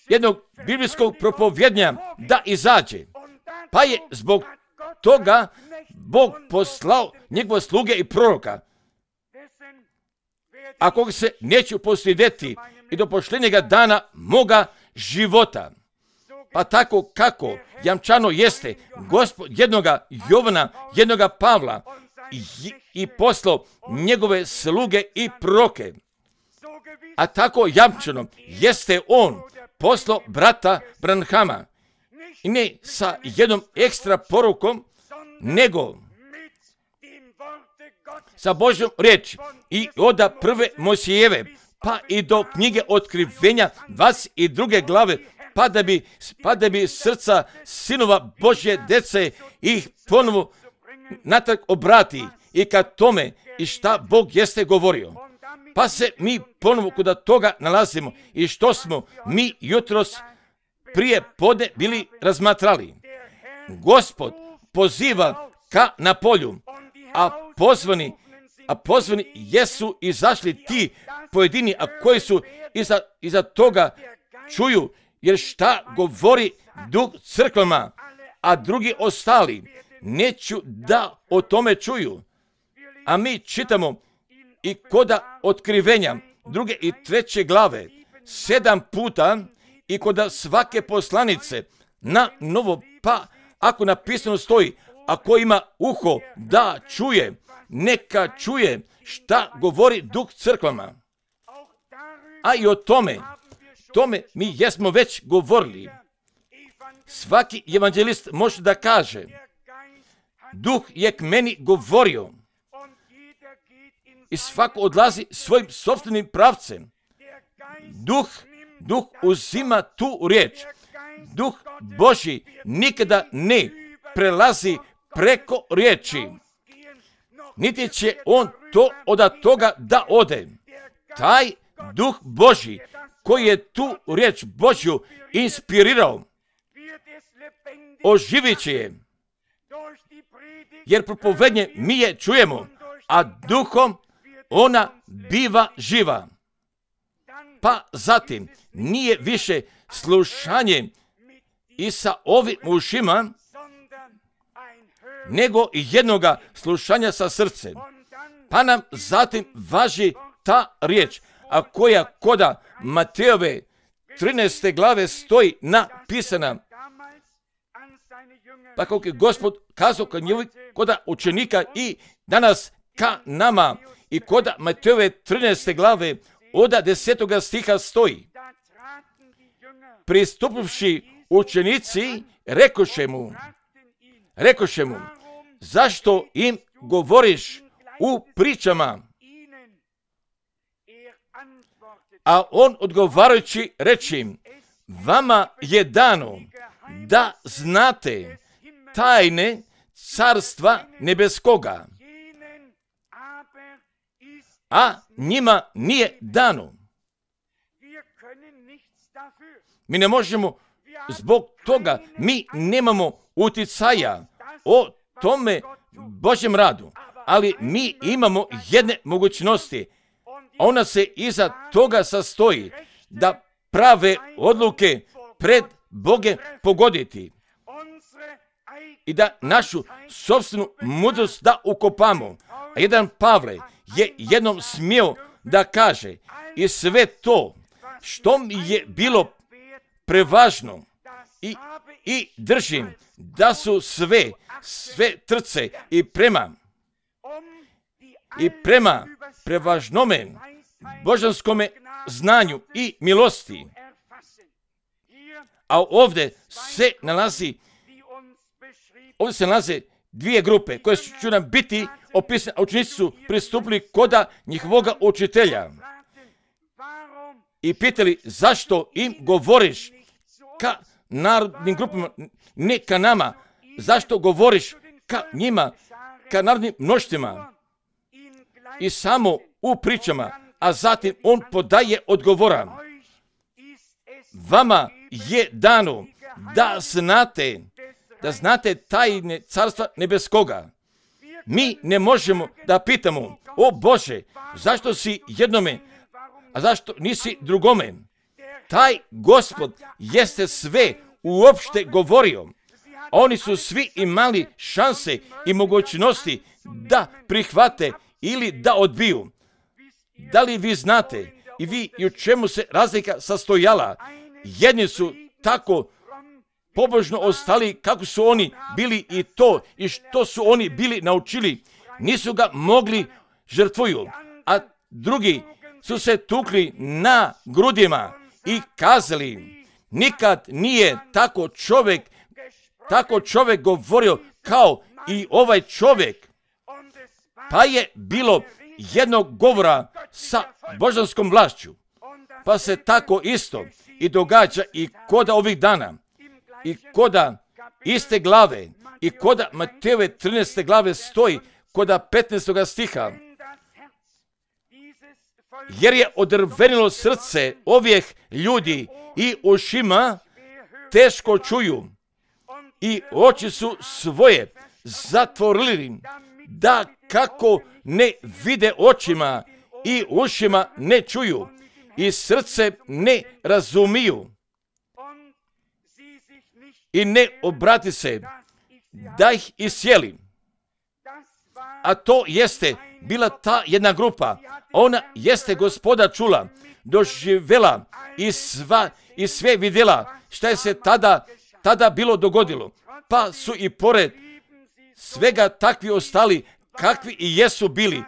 S1: jednog biblijskog propovjednja da izađe. Pa je zbog toga Bog poslao njegove sluge i proroka, a koga se neću posljedeti i do pošljenjega dana moga života. Pa tako kako jamčano jeste Gospod jednoga Jovana, jednoga Pavla i poslao njegove sluge i proroke. A tako jamčano jeste on poslao brata Branhama. I ne sa jednom ekstra porukom, nego sa Božjom riječi i od prve Mojsijeve pa i do knjige Otkrivenja 22. glave, pa da bi srca sinova Božje dece ih ponovo natrag obrati i ka tome i šta Bog jeste govorio. Pa se mi ponovo kod toga nalazimo i što smo mi jutros prije podne bili razmatrali. Gospod poziva ka na polju, a pozvani jesu izašli ti pojedini, a koji su iza toga čuju, jer šta govori Duh crkvama, a drugi ostali neću da o tome čuju. A mi čitamo i koda Otkrivenja 2. i 3. glave 7 puta i koda svake poslanice na novo, pa ako napisano stoji, ako ima uho da čuje, neka čuje šta govori Duh crkvama. A i o tome mi jesmo već govorili. Svaki evanđelist može da kaže Duh je k meni govorio. I svako odlazi svojim sopstvenim pravcem. Duh uzima tu riječ. Duh Božji nikada ne prelazi preko riječi. Niti će on to od toga da ode. Taj Duh Božji koji je tu riječ Božju inspirirao, oživit će je. Jer propovednje mi je čujemo, a duhom ona biva živa. Pa zatim nije više slušanje i sa ovim ušima, nego i jednoga slušanja sa srcem. Pa nam zatim važi ta riječ, a koja koda Matejove 13. glave stoji napisana. Pa kako je Gospod kazao koda učenika i danas ka nama i koda Matejove 13. glave od 10. stiha stoji. Pristupivši učenici, rekoše mu, zašto im govoriš u pričama? A on odgovarajući reče im, vama je dano da znate tajne carstva nebeskoga, a njima nije dano. Mi ne možemo zbog toga, mi nemamo uticaja o tome Božjem radu, ali mi imamo jedne mogućnosti. Ona se iza toga sastoji da prave odluke pred Bogem pogoditi i da našu sopstvenu mudrost da ukopamo. A jedan Pavle je jednom smio da kaže i sve to što mi je bilo prevažno i držim da su sve trce i prema prevažnome božanskome znanju i milosti. A ovdje se nalaze dvije grupe koje će nam biti opisane, a učenici su pristupili koda njihovoga učitelja i pitali zašto im govoriš ka narodnim grupama, ne ka nama, zašto govoriš ka njima, ka narodnim mnoštvima i samo u pričama, a zatim on podaje odgovora. Vama je dano da znate tajne carstva nebeskoga. Mi ne možemo da pitamo, o Bože, zašto si jednome, a zašto nisi drugome? Taj Gospod jeste sve uopšte govorio. Oni su svi imali šanse i mogućnosti da prihvate ili da odbiju. Da li vi znate i vi i u čemu se razlika sastojala? Jedni su tako pobožno ostali kako su oni bili i to i što su oni bili naučili. Nisu ga mogli žrtvuju, a drugi su se tukli na grudima i kazali, nikad nije tako čovjek govorio kao i ovaj čovjek. Pa je bilo jednog govora sa božanskom vlašću. Pa se tako isto i događa i koda ovih dana, i koda iste glave, i koda Matejove 13. glave stoji, koda 15. stiha. Jer je odrvenilo srce ovih ljudi i ušima teško čuju i oči su svoje zatvorili, da kako ne vide očima i ušima ne čuju i srce ne razumiju i ne obrati se da ih isjeli. A to jeste bila ta jedna grupa. Ona jeste Gospoda čula, doživjela i sve vidjela šta je se tada bilo dogodilo. Pa su i pored svega takvi ostali kakvi i jesu bili.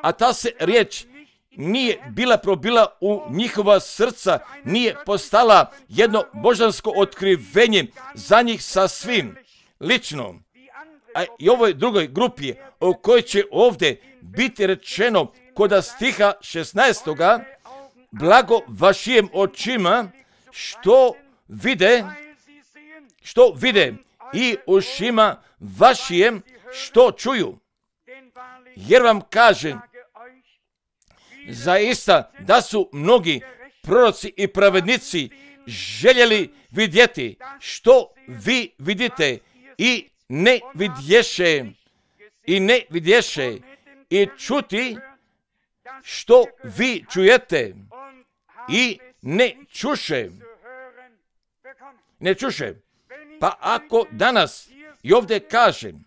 S1: A ta se riječ nije bila probila u njihova srca, nije postala jedno božansko otkrivenje za njih sasvim lično. a i ovoj drugoj grupi o kojoj će ovdje biti rečeno kod stiha 16. Blago vašim očima što vide i ušima vašim što čuju. Jer vam kažem, zaista da su mnogi proroci i pravednici željeli vidjeti što vi vidite i ne vidješe i čuti što vi čujete i ne čuše. Pa ako danas i ovdje kažem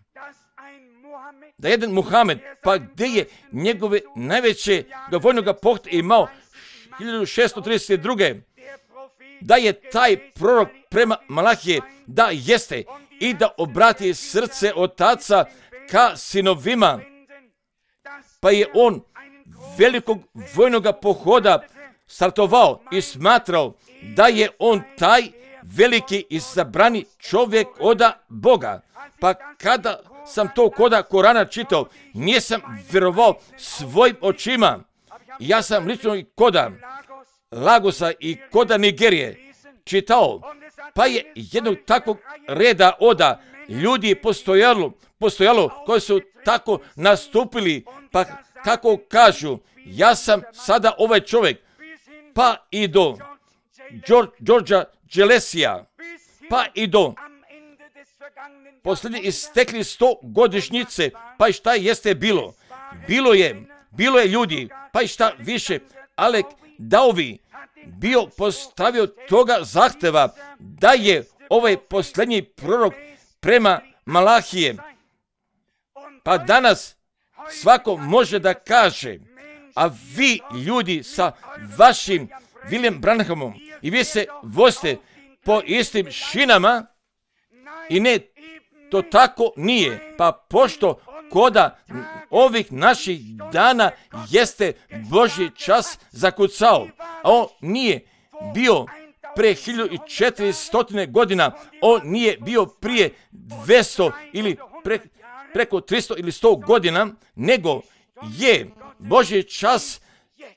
S1: da jedan Muhamed, pa gdje je njegove najveće vojnog pohta imao 1632. da je taj prorok prema Malahije da jeste i da obrati srce otaca ka sinovima, pa je on velikog vojnog pohoda startovao i smatrao da je on taj veliki izabrani čovjek od Boga. Pa kada sam to koda Korana čitao, nisam vjerovao svojim očima. Ja sam lično i koda Lagosa i koda Nigerije čitao, pa je jednog takvog reda oda ljudi postojalo koji su tako nastupili, pa kako kažu, ja sam sada ovaj čovjek, pa i do Georgea Gelesija, pa i do posljednje istekli 100 godišnjice, pa i šta jeste bilo? Bilo je ljudi, pa i šta više, Alek Dauvi bio postavio toga zahteva da je ovaj posljednji prorok prema Malahije. Pa danas svako može da kaže, a vi ljudi sa vašim William Branhamom i vi se vozite po istim šinama i ne, to tako nije. Pa pošto koda ovih naših dana jeste Božji čas zakucao, a on nije bio pre 1400 godina, on nije bio prije 200 ili preko 300 ili 100 godina, nego je Božji čas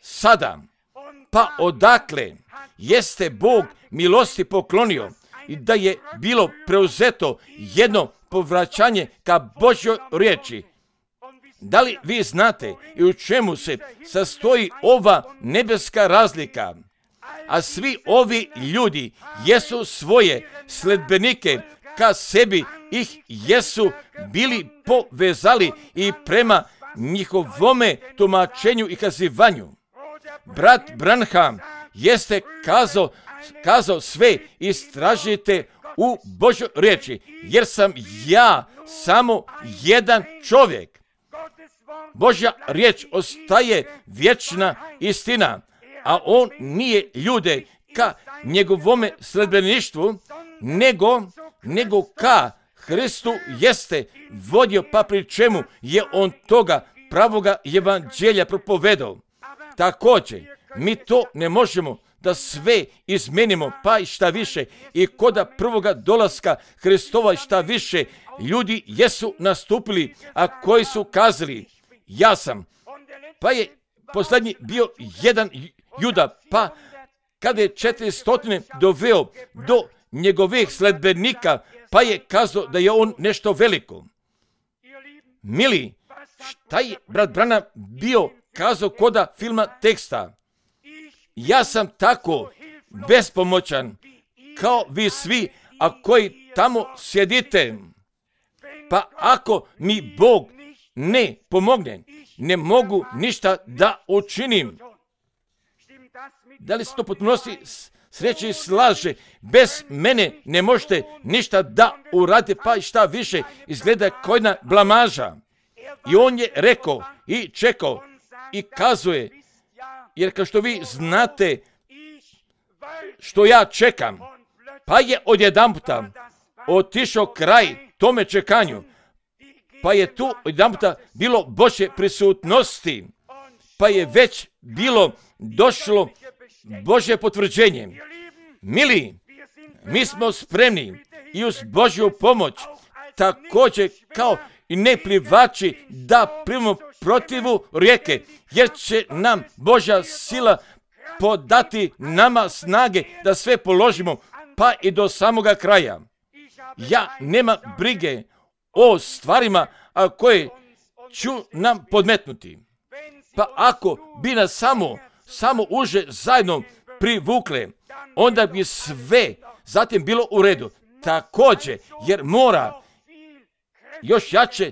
S1: sada. Pa odakle jeste Bog milosti poklonio i da je bilo preuzeto jedno povraćanje ka Božjoj riječi. Da li vi znate i u čemu se sastoji ova nebeska razlika? A svi ovi ljudi jesu svoje sledbenike ka sebi ih jesu bili povezali i prema njihovome tumačenju i kazivanju. Brat Branham jeste kazao sve istražite u Božjoj riječi, jer sam ja samo jedan čovjek. Božja riječ ostaje vječna istina, a on nije ljude ka njegovome sledbeništvu, nego ka Hristu jeste vodio, pa pri čemu je on toga pravoga evanđelja propovedao. Također, mi to ne možemo da sve izmenimo, pa i šta više, i koda prvoga dolaska Hristova i šta više, ljudi jesu nastupili, a koji su kazali, ja sam. Pa je posljednji bio jedan Juda, pa kada je 400 doveo do njegovih sledbenika, pa je kazao da je on nešto veliko. Mili, šta je brat Branham bio kazao koda filma teksta? Ja sam tako bespomoćan kao vi svi, a koji tamo sjedite. Pa ako mi Bog ne pomogne, ne mogu ništa da učinim. Da li se to potpunosti sreće i slaže? Bez mene ne možete ništa da uradite, pa i šta više izgleda kojna blamaža. I on je rekao i čekao i kazuje, jer kao što vi znate što ja čekam, pa je odjedanputa otišao kraj tome čekanju, pa je tu odjedanputa bilo Božje prisutnosti, pa je već bilo došlo Božje potvrđenje. Mili, mi smo spremni i uz Božju pomoć također kao i ne plivači da primimo protivu rijeke, jer će nam Božja sila podati nama snage da sve položimo, pa i do samoga kraja. Ja nema brige o stvarima koje ću nam podmetnuti. Pa ako bi nas samo uže zajedno privukle, onda bi sve zatim bilo u redu. Također, jer mora još jače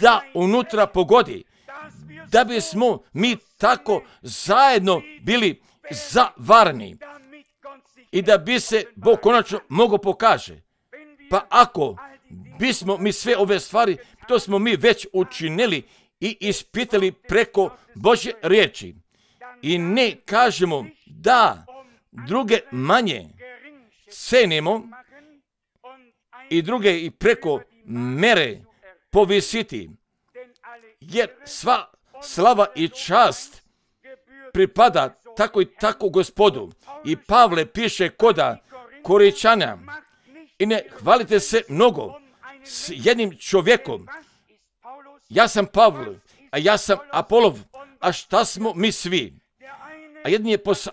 S1: da unutra pogodi, da bismo mi tako zajedno bili zavarni i da bi se Bog konačno mogao pokaže. Pa ako bismo mi sve ove stvari, to smo mi već učinili i ispitali preko Božje riječi i ne kažemo da druge manje cenimo i druge i preko mere povisiti, jer sva slava i čast pripada tako i tako Gospodu. I Pavle piše koda Koričana: i ne hvalite se mnogo s jednim čovjekom. Ja sam Pavle, a ja sam Apolov, a šta smo mi svi? A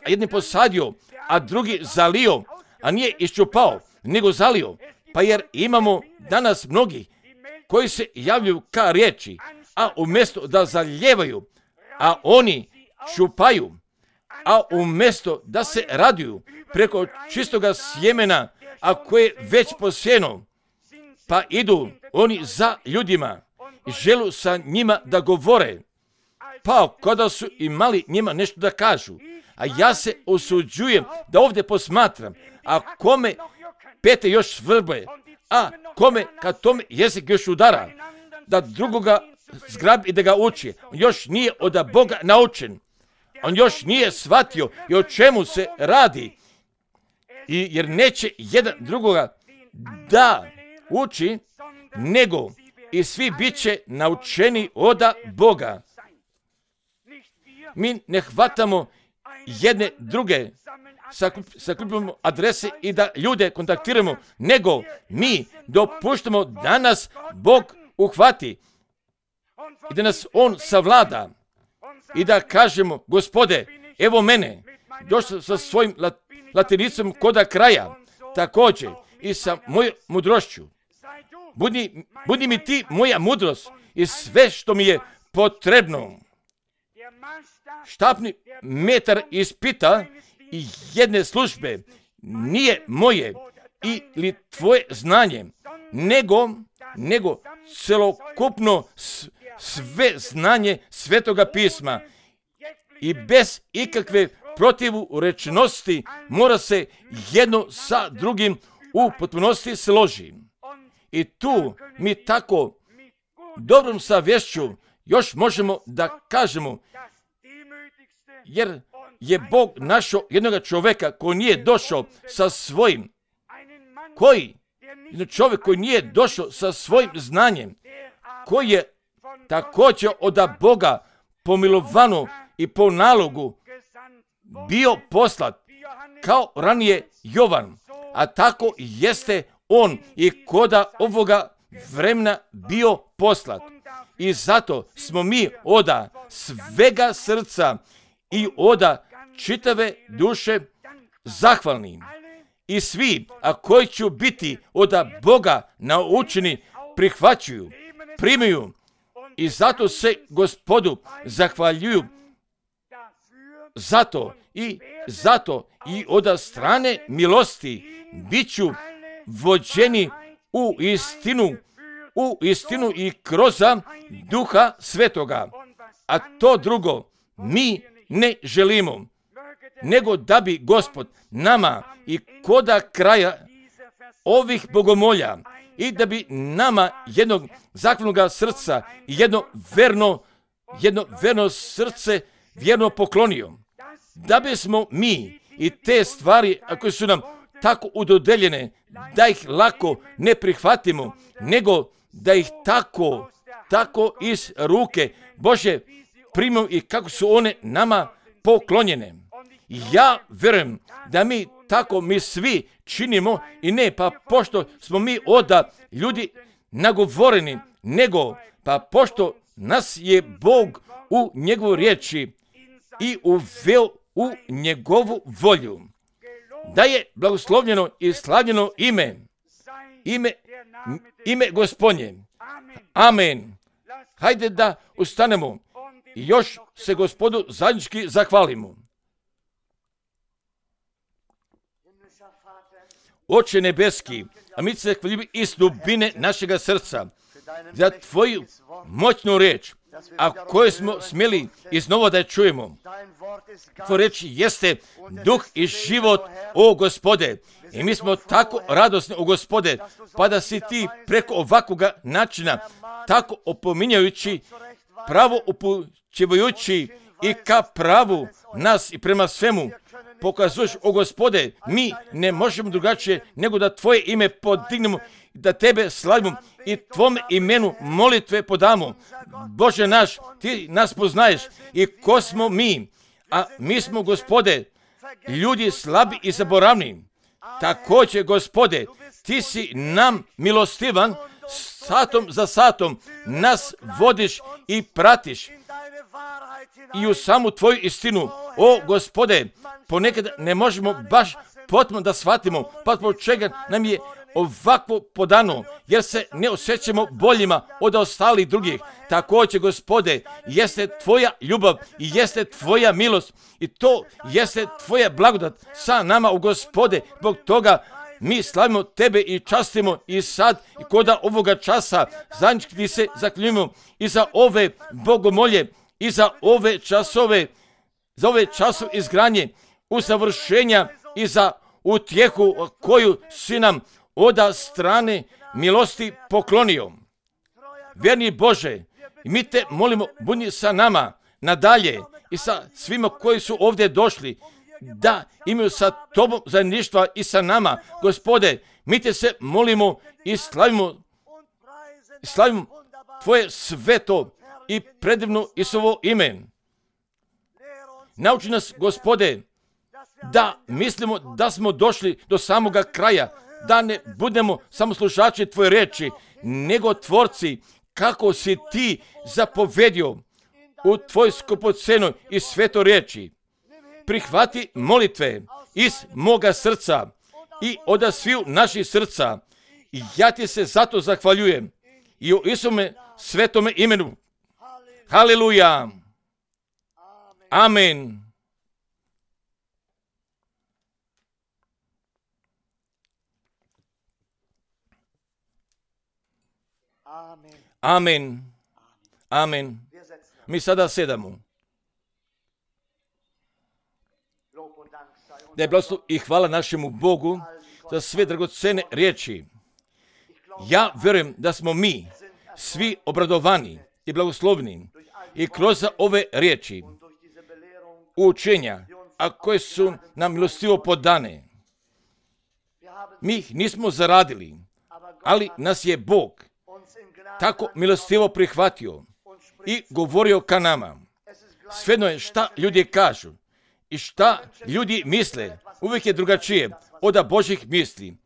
S1: jedni posadio, a drugi zalio, a nije iščupao, nego zalio. Pa jer imamo danas mnogi koji se javljaju ka riječi, a umjesto da zaljevaju, a oni čupaju, a umjesto da se raduju preko čistoga sjemena, a koje je već posijeno, pa idu oni za ljudima i želu sa njima da govore, pa kada su imali njima nešto da kažu. A ja se osuđujem da ovdje posmatram, a kome pete još svrbe, a kome kad tome jezik još udara, da drugoga zgrabi i da ga uči. On još nije od Boga naučen. On još nije shvatio i o čemu se radi. I jer neće jedan drugoga da uči, nego i svi bit će naučeni od Boga. Mi ne hvatamo jedne druge, sakupimo adrese i da ljude kontaktiramo, nego mi dopuštamo da nas Bog uhvati i da nas On savlada i da kažemo: Gospode, evo mene, došao sa svojim latinicom koda kraja, također i sa mojom mudrošću. Budi mi ti moja mudrost i sve što mi je potrebno. Štapni metar ispita i jedne službe nije moje ili tvoje znanje, nego celokupno sve znanje Svetoga pisma i bez ikakve protivurečnosti mora se jedno sa drugim u potpunosti složi. I tu mi tako dobrom savješću još možemo da kažemo, jer je Bog našao jednog čovjeka koji nije došao sa svojim, čovjek koji nije došao sa svojim znanjem, koji je također od Boga pomilovano i po nalogu bio poslat, kao ranije Jovan, a tako jeste on i koda ovoga vremena bio poslat. I zato smo mi oda svega srca i oda čitave duše zahvalni. I svi, a koji će biti od Boga naučeni, prihvaćuju, primaju i zato se Gospodu zahvaljuju. Zato i od strane milosti biću vođeni u istinu i kroz Duha Svetoga. A to drugo mi ne želimo, nego da bi Gospod nama i koda kraja ovih bogomolja i da bi nama jednog zaklonoga srca i jedno verno srce vjerno poklonio. Da bismo mi i te stvari, ako su nam tako udodeljene, da ih lako ne prihvatimo, nego da ih tako iz ruke Bože primimo i kako su one nama poklonjene. Ja vjerujem da mi tako mi svi činimo i ne pa pošto smo mi od ljudi nagovoreni, nego pa pošto nas je Bog u njegovu riječi i uveo u njegovu volju, da je blagoslovljeno i slavljeno ime Gospodnje. Amen. Hajde da ustanemo i još se Gospodu zajednički zahvalimo. Oče nebeski, a mi se hvalimo iz dubine našega srca za tvoju moćnu riječ, a koju smo smjeli iznova da je čujemo. Tvoja riječ jeste duh i život, o Gospode. I mi smo tako radosni, o Gospode, pa da si ti preko ovakvoga načina, tako opominjajući, pravo upućivajući i ka pravu nas i prema svemu, pokazuješ, o Gospode, mi ne možemo drugačije nego da tvoje ime podignemo, da tebe slavimo i tvome imenu molitve podamo. Bože naš, ti nas poznaješ i ko smo mi, a mi smo, Gospode, ljudi slabi i zaboravni. Također, Gospode, ti si nam milostivan, satom za satom nas vodiš i pratiš i u samu tvoju istinu. O Gospode, ponekad ne možemo baš potpuno da shvatimo pa zbog čega nam je ovakvo podano, jer se ne osjećamo boljima od ostalih drugih. Također, Gospode, jeste tvoja ljubav i jeste tvoja milost i to jeste tvoja blagodat sa nama, u Gospode. Zbog toga mi slavimo tebe i častimo i sad i koda ovoga časa zajednički ti se zaklinjujemo i za ove bogomolje i za ove časove izgradnje, usavršenja i za utjehu koju si nam od strane milosti poklonio. Vjerni Bože, mi te molimo, budi sa nama nadalje i sa svima koji su ovdje došli, da imaju sa tobom zajedništva i sa nama. Gospode, mi te se molimo i slavimo tvoje sveto i predivno Isusovo ime. Nauči nas, Gospode, da mislimo da smo došli do samoga kraja, da ne budemo samo slušači tvoje riječi, nego tvorci, kako si ti zapovedio u tvoj skupocenoj i sveto riječi. Prihvati molitve iz moga srca i od sviju naših srca. I ja ti se zato zahvaljujem i u Isuse svetome imenu. Haleluja. Amen. Amen. Amen. Mi sada sedamo. Da je blagoslov i hvala našemu Bogu za sve dragocene riječi. Ja vjerujem da smo mi svi obradovani i blagoslovni i kroz ove riječi učenja, a koje su nam milostivo podane. Mi ih nismo zaradili, ali nas je Bog tako milostivo prihvatio i govorio ka nama. Svejedno je šta ljudi kažu i šta ljudi misle, uvijek je drugačije od Božjih misli.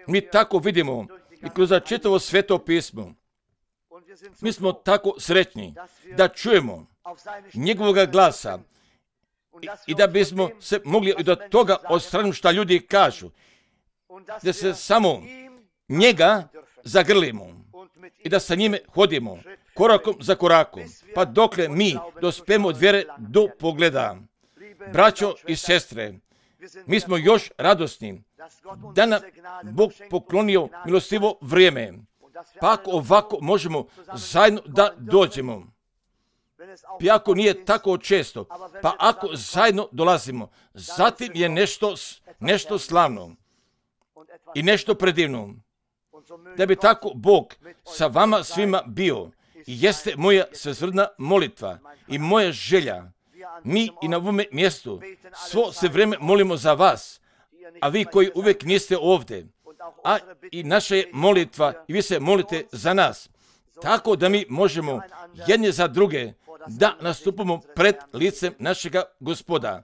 S1: Mi tako vidimo i kroz čitavo sveto pismo. Mi smo tako sretni da čujemo njegovoga glasa i da bismo se mogli i do toga odstraniti šta ljudi kažu, da se samo njega zagrlimo i da sa njime hodimo korakom za korakom, pa dokle mi dospemo od vjere do pogleda. Braćo i sestre, mi smo još radosni da nam Bog poklonio milostivo vrijeme, pa ako ovako možemo zajedno da dođemo. Pa ako nije tako često, pa ako zajedno dolazimo, zatim je nešto slavno i nešto predivno. Da bi tako Bog sa vama svima bio i jeste moja svesrdna molitva i moja želja. Mi i na ovome mjestu svo se vrijeme molimo za vas, a vi koji uvijek niste ovdje, a i naša je molitva i vi se molite za nas, tako da mi možemo jedni za druge da nastupamo pred licem našega Gospoda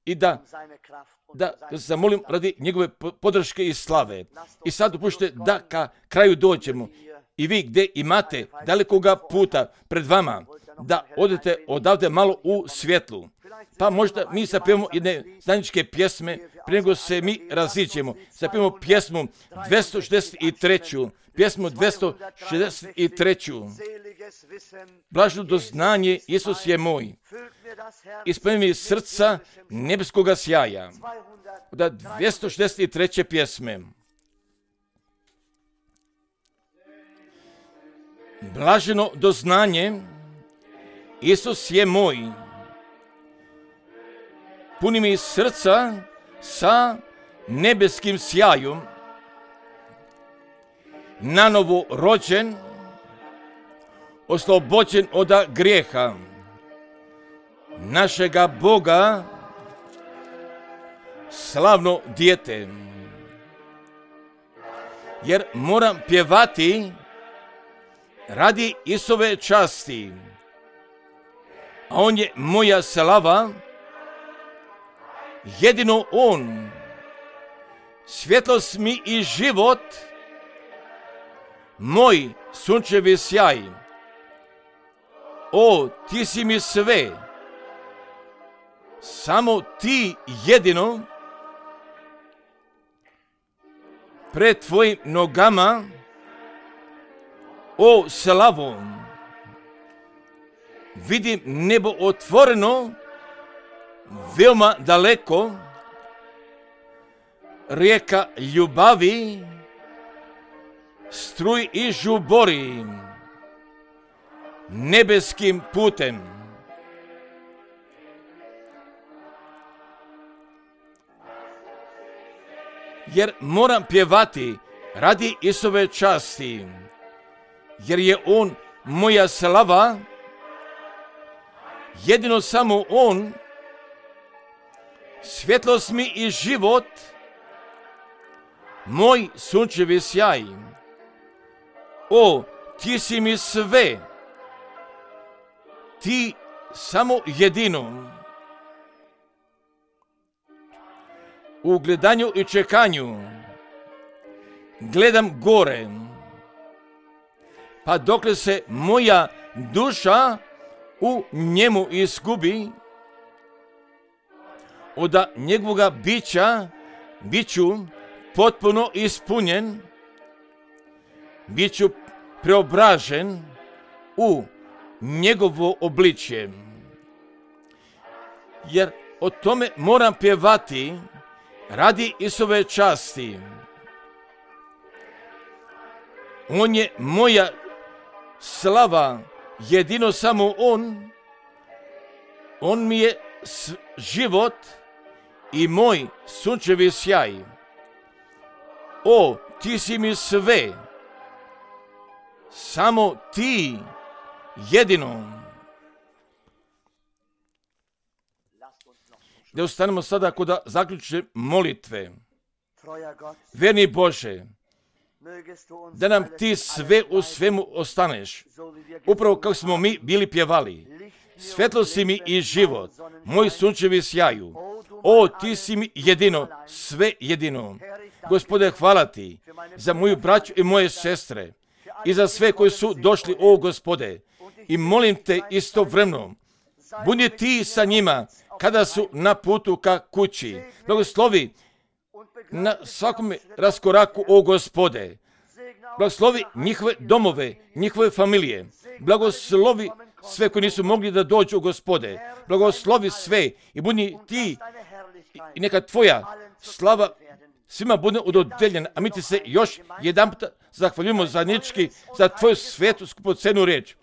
S1: i da zamolim radi njegove podrške i slave. I sad dopušte da ka kraju dođemo i vi gdje imate dalekoga puta pred vama, da odete odavde malo u svjetlu. Pa možda mi zapevamo jedne zajedničke pjesme, prije nego se mi raziđemo. Zapevamo pjesmu 263. Pjesmu 263. Blaženo doznanje, Isus je moj. Ispuni mi srca nebeskoga sjaja. Da 263. pjesme. Blaženo doznanje, Isus je moj. Puni mi srca sa nebeskim sjajom. Nanovo rođen, oslobođen od grijeha. Našega Boga, slavno dijete. Jer moram pjevati radi Isove časti. A on je moja slava, jedino on, svjetlost mi i život, moj sunčevi sjaj. O, ti si mi sve, samo ti jedino, pred tvojim nogama, o slavo, vidim nebo otvoreno, veoma daleko, rijeka ljubavi, struj i žubori, nebeskim putem. Jer moram pjevati radi Isove časti, jer je on moja slava, jedino samo on, svjetlost mi i život, moj sunčevi sjaj. O, ti si mi sve, ti samo jedino. U gledanju i čekanju gledam gore, pa dokle se moja duša u njemu izgubi, od njegovoga bića biću potpuno ispunjen, biću preobražen u njegovo obličje. Jer o tome moram pjevati radi Isove časti. On je moja slava, jedino samo on mi je život i moj sunčevi sjaj. O, ti si mi sve, samo ti jedino. Da ostanemo sada kod zaključne molitve. Verni Bože, da nam ti sve u svemu ostaneš, upravo kako smo mi bili pjevali. Svetlo si mi i život, moj sunčevi sjaju. O, ti si mi jedino, sve jedino. Gospode, hvala ti za moju braću i moje sestre i za sve koji su došli, o Gospode. I molim te istovremeno, budi ti sa njima kada su na putu ka kući. Blagoslovi na svakom raskoraku, o Gospode. Blagoslovi njihove domove, njihove familije. Blagoslovi sve koji nisu mogli da dođu, Gospode. Blagoslovi sve i budi ti i neka tvoja slava svima bude udodeljena. A mi ti se još jedanput zahvaljujemo zajednički za tvoju svetu skupocenu riječ.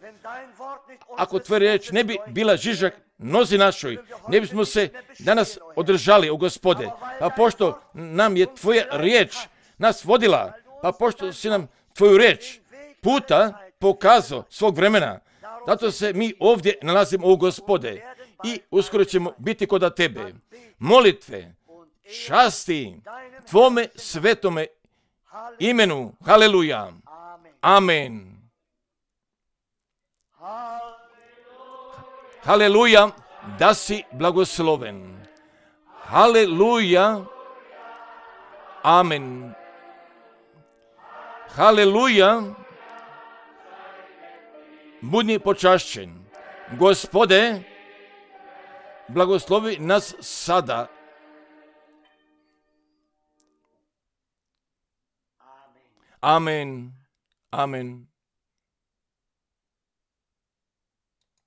S1: Ako tvoja riječ ne bi bila žižak nozi našoj, ne bismo se danas održali, o Gospode. Pa pošto nam je tvoja riječ nas vodila, pa pošto si nam tvoju riječ puta pokazao svog vremena, zato se mi ovdje nalazimo, o Gospode, i uskoro ćemo biti kod tebe. Molitve, časti tvome svetome imenu. Haleluja. Amen. Haleluja, da si blagosloven. Haleluja. Amen. Haleluja. budi počašćen. Gospode, blagoslovi nas sada. Amen. Amen.